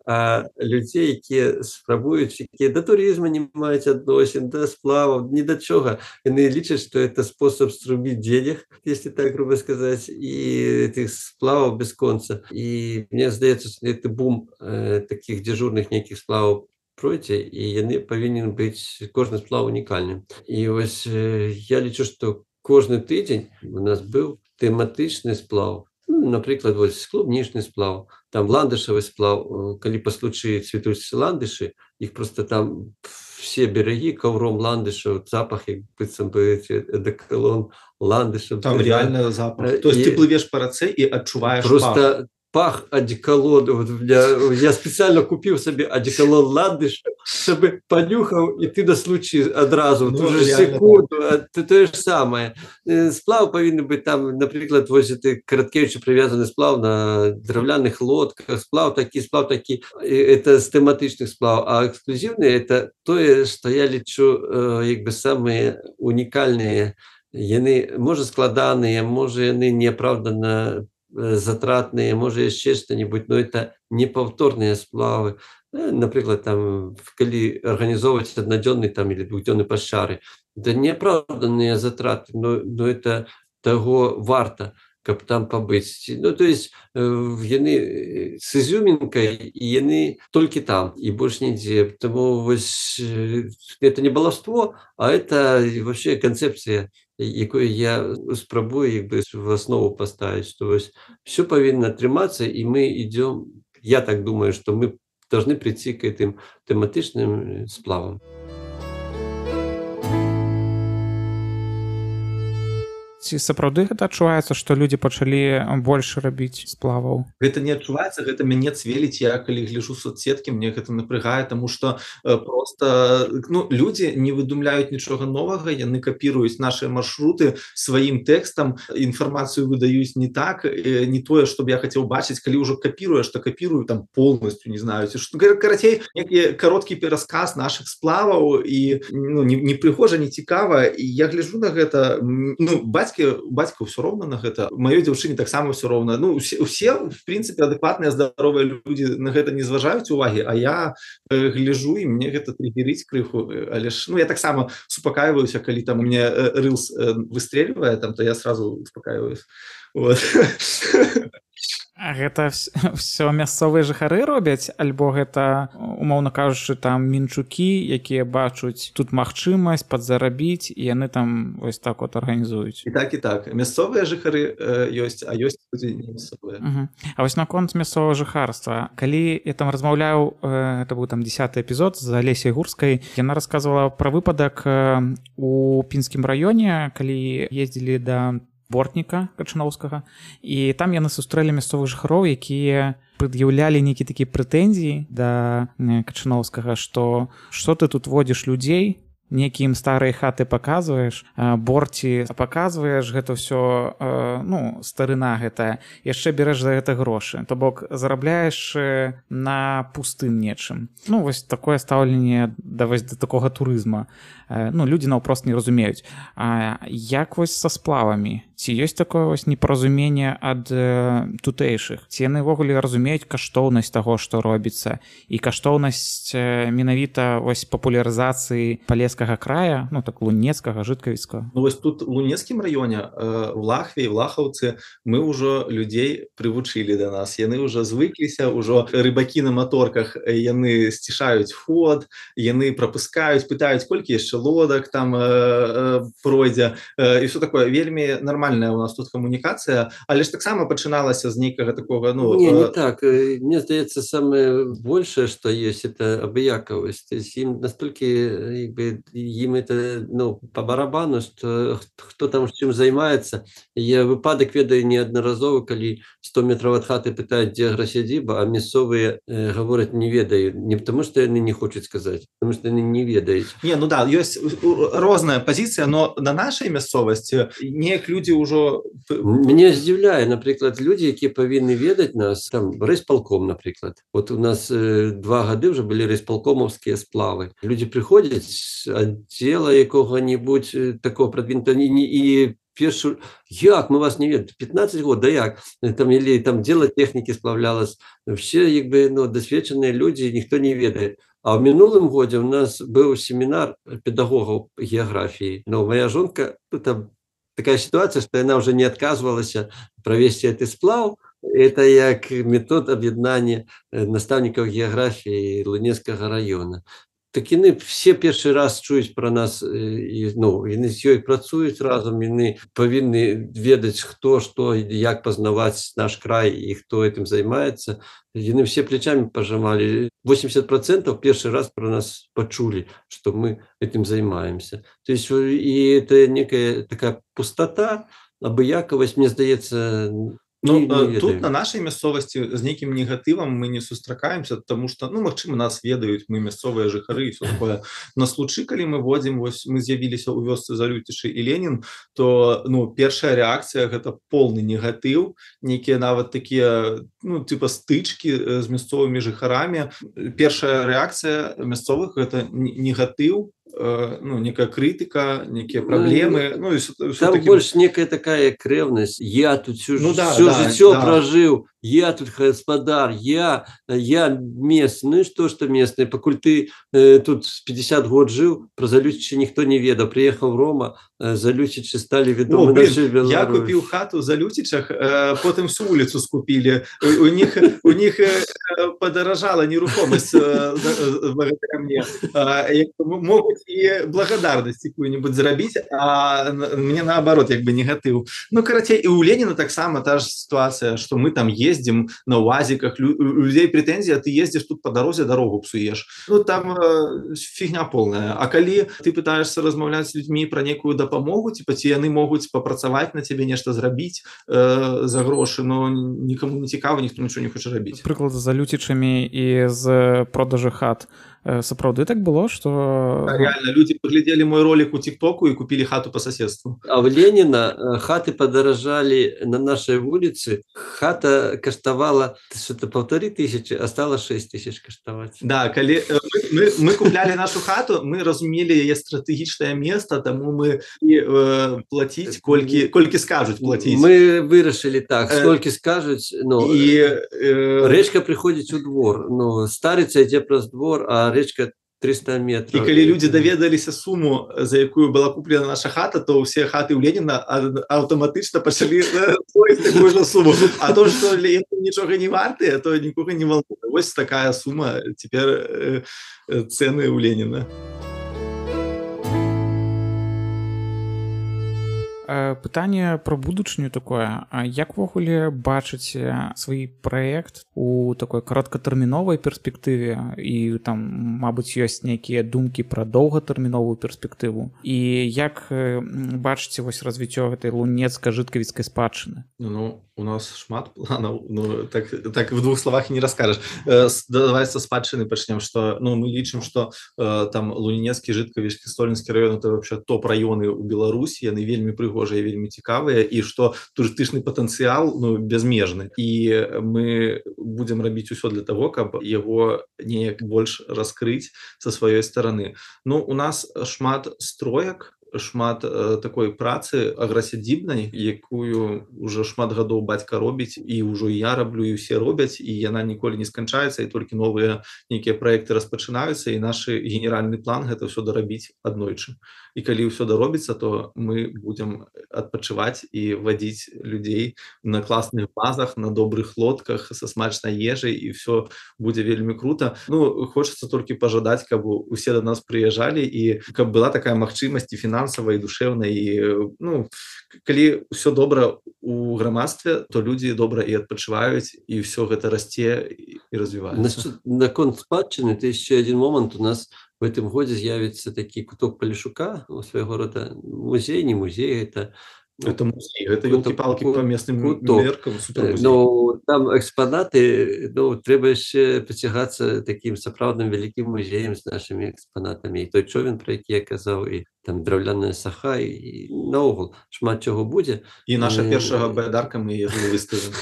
а людзей, якія спрабуюць, якія да турызма не маюць адносін, да сплаваў, ні да чога. Яны лічаць, што это спосаб струбіць денег, если так грубо сказаць, і тых сплаваў без конца. І мне здаецца, што это бум э, такіх дзяжурных нейкіх сплаваў пройдзе, і яны павінен быць кожны сплав унікальным. І вось э, я лічу, што кожны тыдзень у нас быў тэматычны сплав. Ну, напрыклад, вось клубнічны сплав, там ландышавы сплав, калі па случаі цвітуць ландышы, іх просто там все берагі каўром ландышаў, запах, як быццам бы эдакалон ландышаў. Там реально запах. То есть ты плывеш па рацэ і адчуваеш просто пах одеколону. Вот я, я специально купил себе одеколон «Ландыш», чтобы понюхал, и ты на случай одразу, Ну, ту же реально секунду, то, то же самое. Сплав повинен быть там, наприклад, ось это Короткевичу привязанный сплав на древляных лодках, сплав такие, сплав такие, это с тематичных сплав, а эксклюзивные это то, что я лечу, как бы самые уникальные. Яны, може, складаныя, можа, яны неапраўдана затратныя, можа, яшчэ што-нибудь, но это непаўторныя сплавы. Напрыклад, там, калі арганізоўваць аднадзённы там или двухдзённы пашчары, это неапраўданыя затраты, но, но это таго варта, каб там пабыць. Ну, то есть яны з изюмінкай, і яны толькі там, і больш нідзе. Таму вось это не балаўство, а это вообще канцэпцыя, якую я спрабую як бы в основу поставить, что все повинно трымацца, и мы идем, я так думаю, что мы должны прийти к этим тематичным сплавам. Ці сапраўды гэта адчуваецца, што людзі пачалі больш рабіць сплаваў? Гэта не адчуваецца, гэта мяне цвеліць. Я калі гляджу соцсеткі, мне гэта напрягае, таму што э, просто ну, людзі не выдумляюць нічога новага, яны капіруюць нашыя маршруты сваім тэкстам, інфармацыю выдаюць не так, э, не тое, што б я хацеў бачыць, калі ўжо капіруеш, то капірую там полностью, не знаю, ці што. Карацей, некі кароткі перасказ нашых сплаваў, і ну, не, не прыгожа, не цікава, і я гляджу на гэта, ну, бацька бацька ўсё роўна на гэта, маёй дзяўчыне таксама ўсё роўна. Ну усе, усе в прынцыпе адэкватныя здаровыя людзі на гэта не зважаюць увагі, а я э, гляжу, і мне гэта триггерыць крыху, але ж ну я таксама супакаиваюся, калі там у меня э, рылс э, выстрельвае, там то я сразу успокаиваюсь. Вот. А гэта все мясцовыя жыхары робяць, альбо гэта, умоўна кажучы, там мінчукі, якія бачуць тут магчымасць падзарабіць, і яны там вось так вот арганізуюць? І так, і так. Мясцовыя жыхары э, ёсць, а ёсць людзі не мясцовыя. Uh-huh. А вось наконт мясцовага жыхарства. Калі я там размаўляў, э, это быў там дзесяты эпізод з Алесяй Гурскай, яна расказвала пра выпадак э, у Пінскім раёне, калі ездзілі да Бортніка Качаноўскага, і там яны сустрэлі мясцовых жыхароў, якія прад'яўлялі нейкія такія прэтэнзіі да Качаноўскага, што што ты тут водзіш людзей, некія ім старыя хаты паказваеш, борці паказваеш, гэта ўсё, ну, старына гэтая, яшчэ береш за гэта грошы, то бок зарабляеш на пустым нечым. Ну, вось такое стаўленне да, вось, да такога турызма. Ну, людзі наўпрост не разумеюць. А як вось са сплавамі? Ці ёсць такое вось непаразуменне ад э, тутэйшых? Ці яны ўвогуле разумеюць каштоўнасць таго, што робіцца, і каштоўнасць э, менавіта вось папулярызацыі палескага края, ну так лунецкага, жыткавіцкага? Ну вось тут у Лунецкім раёне, э, в Лахве і в Лахаўцы мы ўжо людзей прывучылі да нас. Яны ўжо звыкліся, ўжо рыбакі на маторках, яны сцішаюць ход, яны прапускаюць, пытаюць, колькі яшчэ лодак там э, э, пройдзе, э, і ўсё такое. Вельмі нармальная у нас тут камунікацыя, але ж таксама пачыналася з нейкага такога, ну... Не, не так. Мне здаецца, самое большее, что есть, это абыякавасць. То есть им настолько, как бы, им это, ну, по барабану, что кто там чым займаецца. Я выпадак ведаю неаднаразовы, калі сто метров ад хаты пытаюць, дзе аграсядзіба, а мясцовыя э, гавораць не ведаюць. Не потому что яны не хочуць сказаць, потому что яны не ведаюць. Не, ну да, ёсць розная пазіцыя, но на нашай мясцовасці неяк людзі ўжо... Мне здзіўляе, напрыклад, людзі, якія павінны ведаць нас, там, райсполком, напрыклад. Вот у нас э, два гады ўжо былі райсполкомаўскія сплавы. Людзі прыходзяць з аддзела якога-нибудь э, такого прадвинутого, і, і першую, як, мы вас не ведаем, пятнадцать год, да як, там, или там дело техники сплавлялось, все, як бы, ну, досведченные люди, никто не ведает. А в минулым году у нас был семинар педагогов географии, но моя жонка, ну, там такая ситуация, что она уже не отказывалась провести этот сплав. Это як метод объединения наставников географии Лунецкого района. Так яны все першы раз чуюць пра нас, і, ну, яны з ёй працуюць разам, яны павінны ведаць, хто, што, як пазнаваць наш край і хто этим займаецца. Яны все плечами пожимали. восемьдесят процентов першы раз про нас почули, что мы этим занимаемся. То есть и это некая такая пустота, абыякавасць, мне здаецца, Ну, Не- не э, тут ведаю. на нашай мясцовасці з нейкім негатывам мы не сустракаемся, тому што ну магчыма нас ведаюць, мы мясцовыя жыхары і все такое. На случы, калі мы водзім, вось мы з'явіліся ў вёсцы Залюцічы і Ленін, то ну першая рэакцыя гэта полны негатыў, нейкія нават такія ну типа стычкі э, з мясцовымі жыхарамі. Першая рэакцыя мясцовых гэта не- негатыў, э, ну некая крытыка, некія Ну, праблемы, ну і всё- всё Там такі- больше некая такая как ревность. Я тут всю, Ну да, всю да, житё да. прожил, я тут господар, я, я местный. Ну и что, что местный? Покуль ты э, тут с пятьдесят год жил, про Залюцичи никто не ведал. Приехал в Рома, э, Залюцичи стали О, ведомы блин, нашей я Беларуси. купил хату за Лютичах, э, потом всю улицу скупили. У, у них, у них э, подорожала нерухомость э, за- благодаря мне. А, як бы м- могут и благодарность какую-нибудь заробить, а н- мне наоборот, как бы негатив. Ну, короче, и у Ленина так само та же ситуация, что мы там ездим на УАЗиках, лю- у людей претензия, ты ездишь тут по дороге, дорогу псуешь. Ну, там э, фигня полная. А коли ты пытаешься размовлять с людьми про некую допомогу, типа, ці яны могуць папрацаваць на тебе, нешта зрабіць э, за грошы, но нікому не цікава, ніхто нічого не хоча рабіць. Прыклад з Залюцічамі і з продажу хат. Э, Сапраўды так было, што А реально, люди поглядели мой ролик у ТикТоку и купили хату по соседству. А в Ленина э, хаты подорожали на нашей улице. Хата коштовала что-то полторы тысячи, а стала шесть тысяч коштовать. Да, коли э, мы, мы, мы купляли нашу хату, мы разумели яе стратэгічнае место, тому мы і э, платить, колькі, колькі скажуть платить. Мы вырашили так, Э, сколько скажут, ну, І э, речка приходит у двор, ну, старица идет праз двор, а речка триста І метров. калі людзі даведаліся суму, за якую была куплена наша хата, то ўсе хаты ў Леніна а- аўтаматычна пачалі стоіць такую ж суму. А то, што Ленін нічога не вартыя, то нікога не волнуе. Вось такая сума цяпер э, э, цэны ў Леніна. Э, пытанне пра будучыню такое. А як увогуле бачыце свой праект у такой кароткатэрміновай перспектыве і там, мабыць, ёсць нейкія думкі пра доўгатэрміновую перспектыву? І як э, бачыце вось развіццё гэтай лунецка-жыткавіцкай спадчыны? Ну, у нас шмат планаў, ну, так, так в двух словах і не раскажаш. Э, с- давай са спадчыны пачнем, што ну, мы лічым, што э, там Лунінецкі, Жыткавічскі, Столінскі раён это вообще топ-раёны ў Беларусі, яны вельмі прыгожыя, вельмі цікавыя, і што турыстычны патэнцыял ну, безмежны. І мы будзем рабіць усё для того, каб яго неяк больш раскрыць са сваёй стараны. Ну, у нас шмат строек, шмат э, такой працы аграсядзібнай, якую уже шмат гадоў бацька робіць, і ўжо і я раблю, і ўсе робяць, і яна ніколі не сканчаецца, і толькі новыя нейкія праекты распачынаюцца, і наш генеральны план гэта ўсё дарабіць аднойчы. І калі ўсё даробіцца, то мы будзем адпачываць і вадзіць людзей на класных базах, на добрых лодках са смачнай ежай, і ўсё будзе вельмі крута. Ну, хочацца толькі пажадаць, каб усе да нас прыязджалі, і каб была такая магчымасць і фінансавая, і душэўная, і ну, калі ўсё добра у грамадстве, то людзі добра і адпачываюць, і ўсё гэта расце і і развіваецца. Насчет, наконт спадчыны, это еще один момент. У нас в этом году з'явится таки куток Полишука, ну, своего рода музей, не музей, это ну, Это музей, это куток- ёлки-палки по местным куток. меркам, Э, супермузей. Ну, там экспонаты, ну, трэба яшчэ прыцягацца таким сапраўдным вялікім музеем з нашымі экспанатамі. І той човен, про які я казаў, і там драўляная саха, і наогул шмат чаго будзе. І наша Э, першага байдарка, мы яе выставім.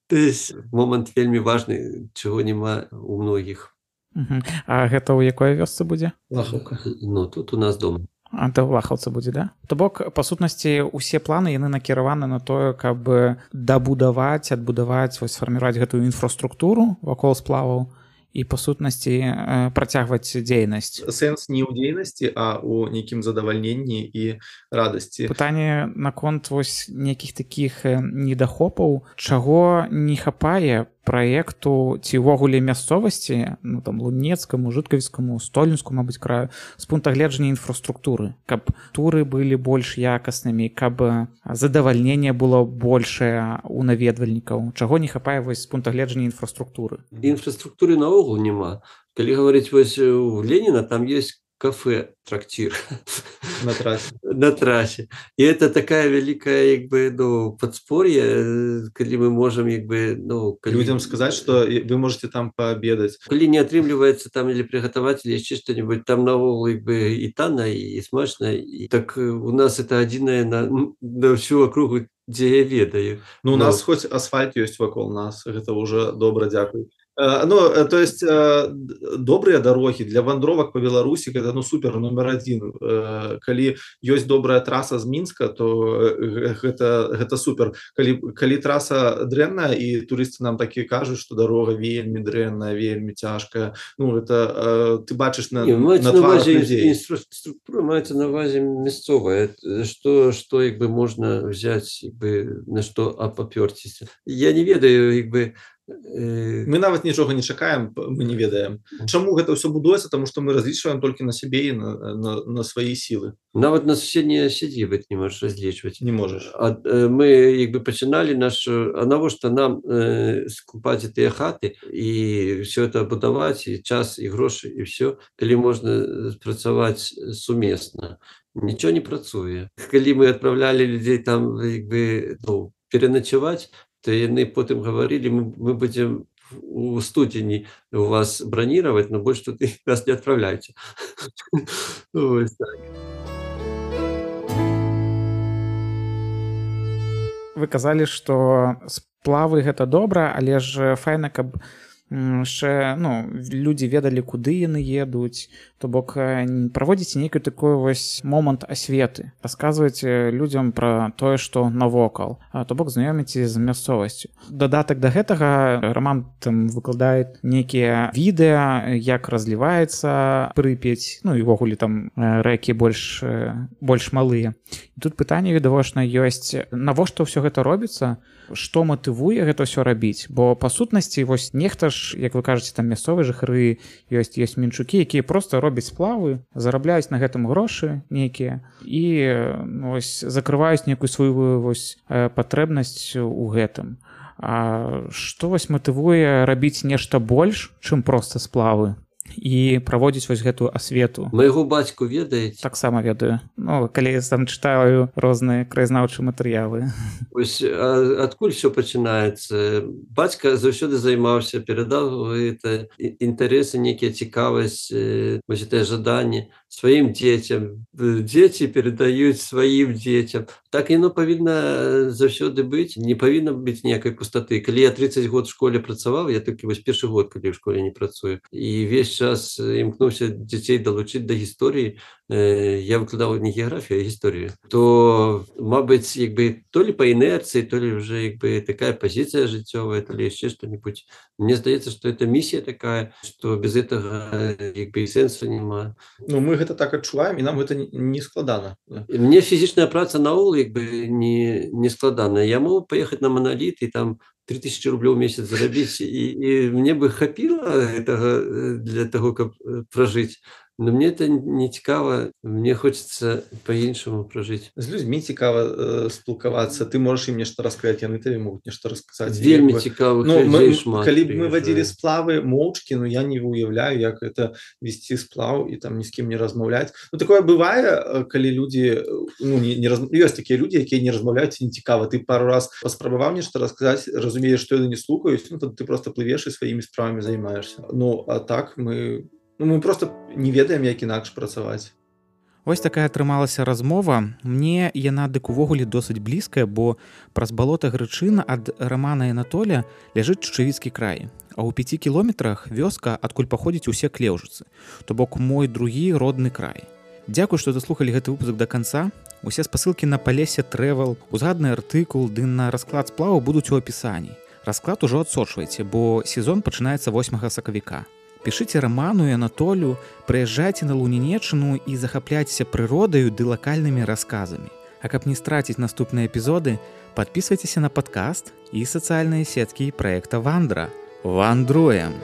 То есть момант вельмі важны, чаго няма у многіх. Мгм. А гэта ў якой вёсцы будзе? Лахаўка. Ну, тут у нас дома. А да лахаўца будзе, да? То бок, па сутнасці, усе планы яны накіраваны на тое, каб дабудаваць, адбудаваць, вось сфарміраваць гэтую інфраструктуру вакол сплаваў і па сутнасці э, працягваць дзейнасць. Сэнс не ў дзейнасці, а ў нейкім задавальненні і радасці. Пытанне наконт вось нейкіх такіх э, недахопаў, чаго не хапае праекту ці ўвогуле мясцовасці, ну там лунецкаму, жыткавіцкаму, столінску, мабыць, краю, з пункта гледжання інфраструктуры, каб туры былі больш якаснымі, каб задавальненне было большае у наведвальнікаў. Чаго не хапае вось з пункта гледжання інфраструктуры? Інфраструктуры наогул няма. Калі гаварыць вось у Леніна, там ёсць кафе, трактир На трассе. на трассе. И это такая великая, как бы, ну, подспорье, когда мы можем, как бы, ну, коли... Людям сказать, что и вы можете там пообедать. Коли не атрымліваецца там или приготовать, или яшчэ что-нибудь, там наогул, как бы, и танно, и смачно. И так у нас это адзінае на, на всю округу, дзе я ведаю. Ну, у Но... нас хоть асфальт ёсць вакол нас, гэта уже добра, дзякуй. Э, ну, э, то есть э, добрыя дарогі для вандровак по Беларусі гэта, ну, супер номер адзін. Э, калі ёсць добрая траса з Мінска, то э, гэта, гэта супер. Калі, калі траса дрэнная і турысты нам такі кажуць, што дарога вельмі дрэнная, вельмі цяжкая, ну, это э, ты бачыш на, Не, на тварах людзей. Инфраструктура маецца на увазе мясцовая, што, што, як бы, можна взять, як бы, на што апапёрціся. Я не ведаю, як бы, мы нават нічога не чакаем, мы не ведаем. Чаму гэта ўсё будуецца? Таму што мы разлічваем толькі на сябе і на, на, на свае сілы. Нават на суседнія сядзібы не можаш разлічваць. Не можаш. А, мы, як бы, пачыналі нашу, а навошта нам э, скупаць тыя хаты і все это будаваць, і час, і грошы, і все, калі можна працаваць сумесна. Нічого не працуе. Калі мы адпраўлялі людзей там, як бы, ну, пераначаваць, то яны потым гаварылі, мы, мы будзем у студзені у вас браніраваць, но больш тут вас не адпраўляйце. Вось так. Вы казалі, што сплавы гэта добра, але ж файна, каб яшчэ, ну, людзі ведалі, куды яны едуць, то бок праводзіце нейкі такой вось момант асветы, расказваеце людзям пра тое, што навокал, то бок знаёміце з мясцовасцю. Дадатак да гэтага Раман там выкладае нейкія відэа, як разліваецца Прыпяць, ну і ўвогуле там рэкі больш, больш малыя. І тут пытанне відавочна ёсць, навошта ўсё гэта робіцца, што матывуе гэта ўсё рабіць, бо па сутнасці вось нехта ж, як вы кажаце, там мясцовыя жыхары ёсць, ёсць мінчукі, якія проста робяць сплавы, зарабляюць на гэтым грошы нейкія і вось закрываюць нейкую сваю вось патрэбнасць у гэтым. А што вось матывуе рабіць нешта больш, чым проста сплавы? І праводзіць вось гэтую асвету. Майго бацьку ведаеце? Таксама ведаю. Ну, калі я там чытаю розныя краязнаўчыя матэрыялы. Вось адкуль все пачынаецца? Бацька заўсёды займаўся, перадаў гэта інтарэсы, нейкія цікавасць, вось гэтае жаданне сваім дзецям. Дзеці перадаюць сваім дзецям. Так яно павінна заўсёды быць. Не павінна быць ніякай пустаты. Калі я тридцать год в школе працаваў, я толькі вось першы год, калі ў школе не працую. І весь час імкнуўся дзяцей далучыць да гісторыі. Я выкладаў не геаграфію, а гісторыю. То, мабыць, як бы, то ли по инерции, то ли уже, як бы, такая позиция жыццёвая, то ли еще что-нибудь. Мне здаецца, что это миссия такая, что без этого, як бы, и сенсу нема. Ну, мы гэта так адчуваем, і нам гэта не складана. Мне фізічная праца наогул, як бы, не, не складана. Я могу поехать на Монолит и там три тысячи рублей в месяц заробить, и, и мне бы хапило этого для того, как прожить. Но мне это не цікаво, мне хочется по-іншаму прожить. З людзьмі цікава э, спілкавацца, ты можаш ім нешта расказаць, яны табе могуць нешта расказаць. Вельмі цікавых ну, людзей мы, шмат. Калі б мы вадзілі сплавы моўчкі, ну я не уяўляю, як гэта весці сплаў і там ні з кім не размаўляць. Ну такое бывае, калі людзі, ну не, не раз... ёсць такія людзі, якія не размаўляюць, не цікава. Ты пару раз паспрабаваў нешта расказаць, разумееш, што яны не слухаюць, ну то ты просто плывеш і сваімі справамі займаешься. Ну а так мы Ну, мы просто не ведаем, як інакш працаваць. Вось такая атрымалася размова. Мне яна дык увогуле досыць блізкая, бо праз балота Грычына ад Рамана і Анатоля ляжыць Чучавіцкі край. А ў пяці кіламетрах вёска, адкуль паходзяць усе клеўжыцы. То бок мой другі родны край. Дзякуй, што даслухалі гэты выпуск да канца. Усе спасылкі на Палесе Travel, узгадны артыкул ды на расклад сплаву будуць у апісанні. Расклад ужо адсочвайце, бо сезон пачынаецца восьмага сакавіка. Пішыце Раману і Анатолю, прыязджайце на Лунінеччыну і захапляйцеся прыродаю ды лакальнымі расказамі. А каб не страціць наступныя эпізоды, падпісвайцеся на падкаст і сацыяльныя сеткі праекта Вандра. Вандруем!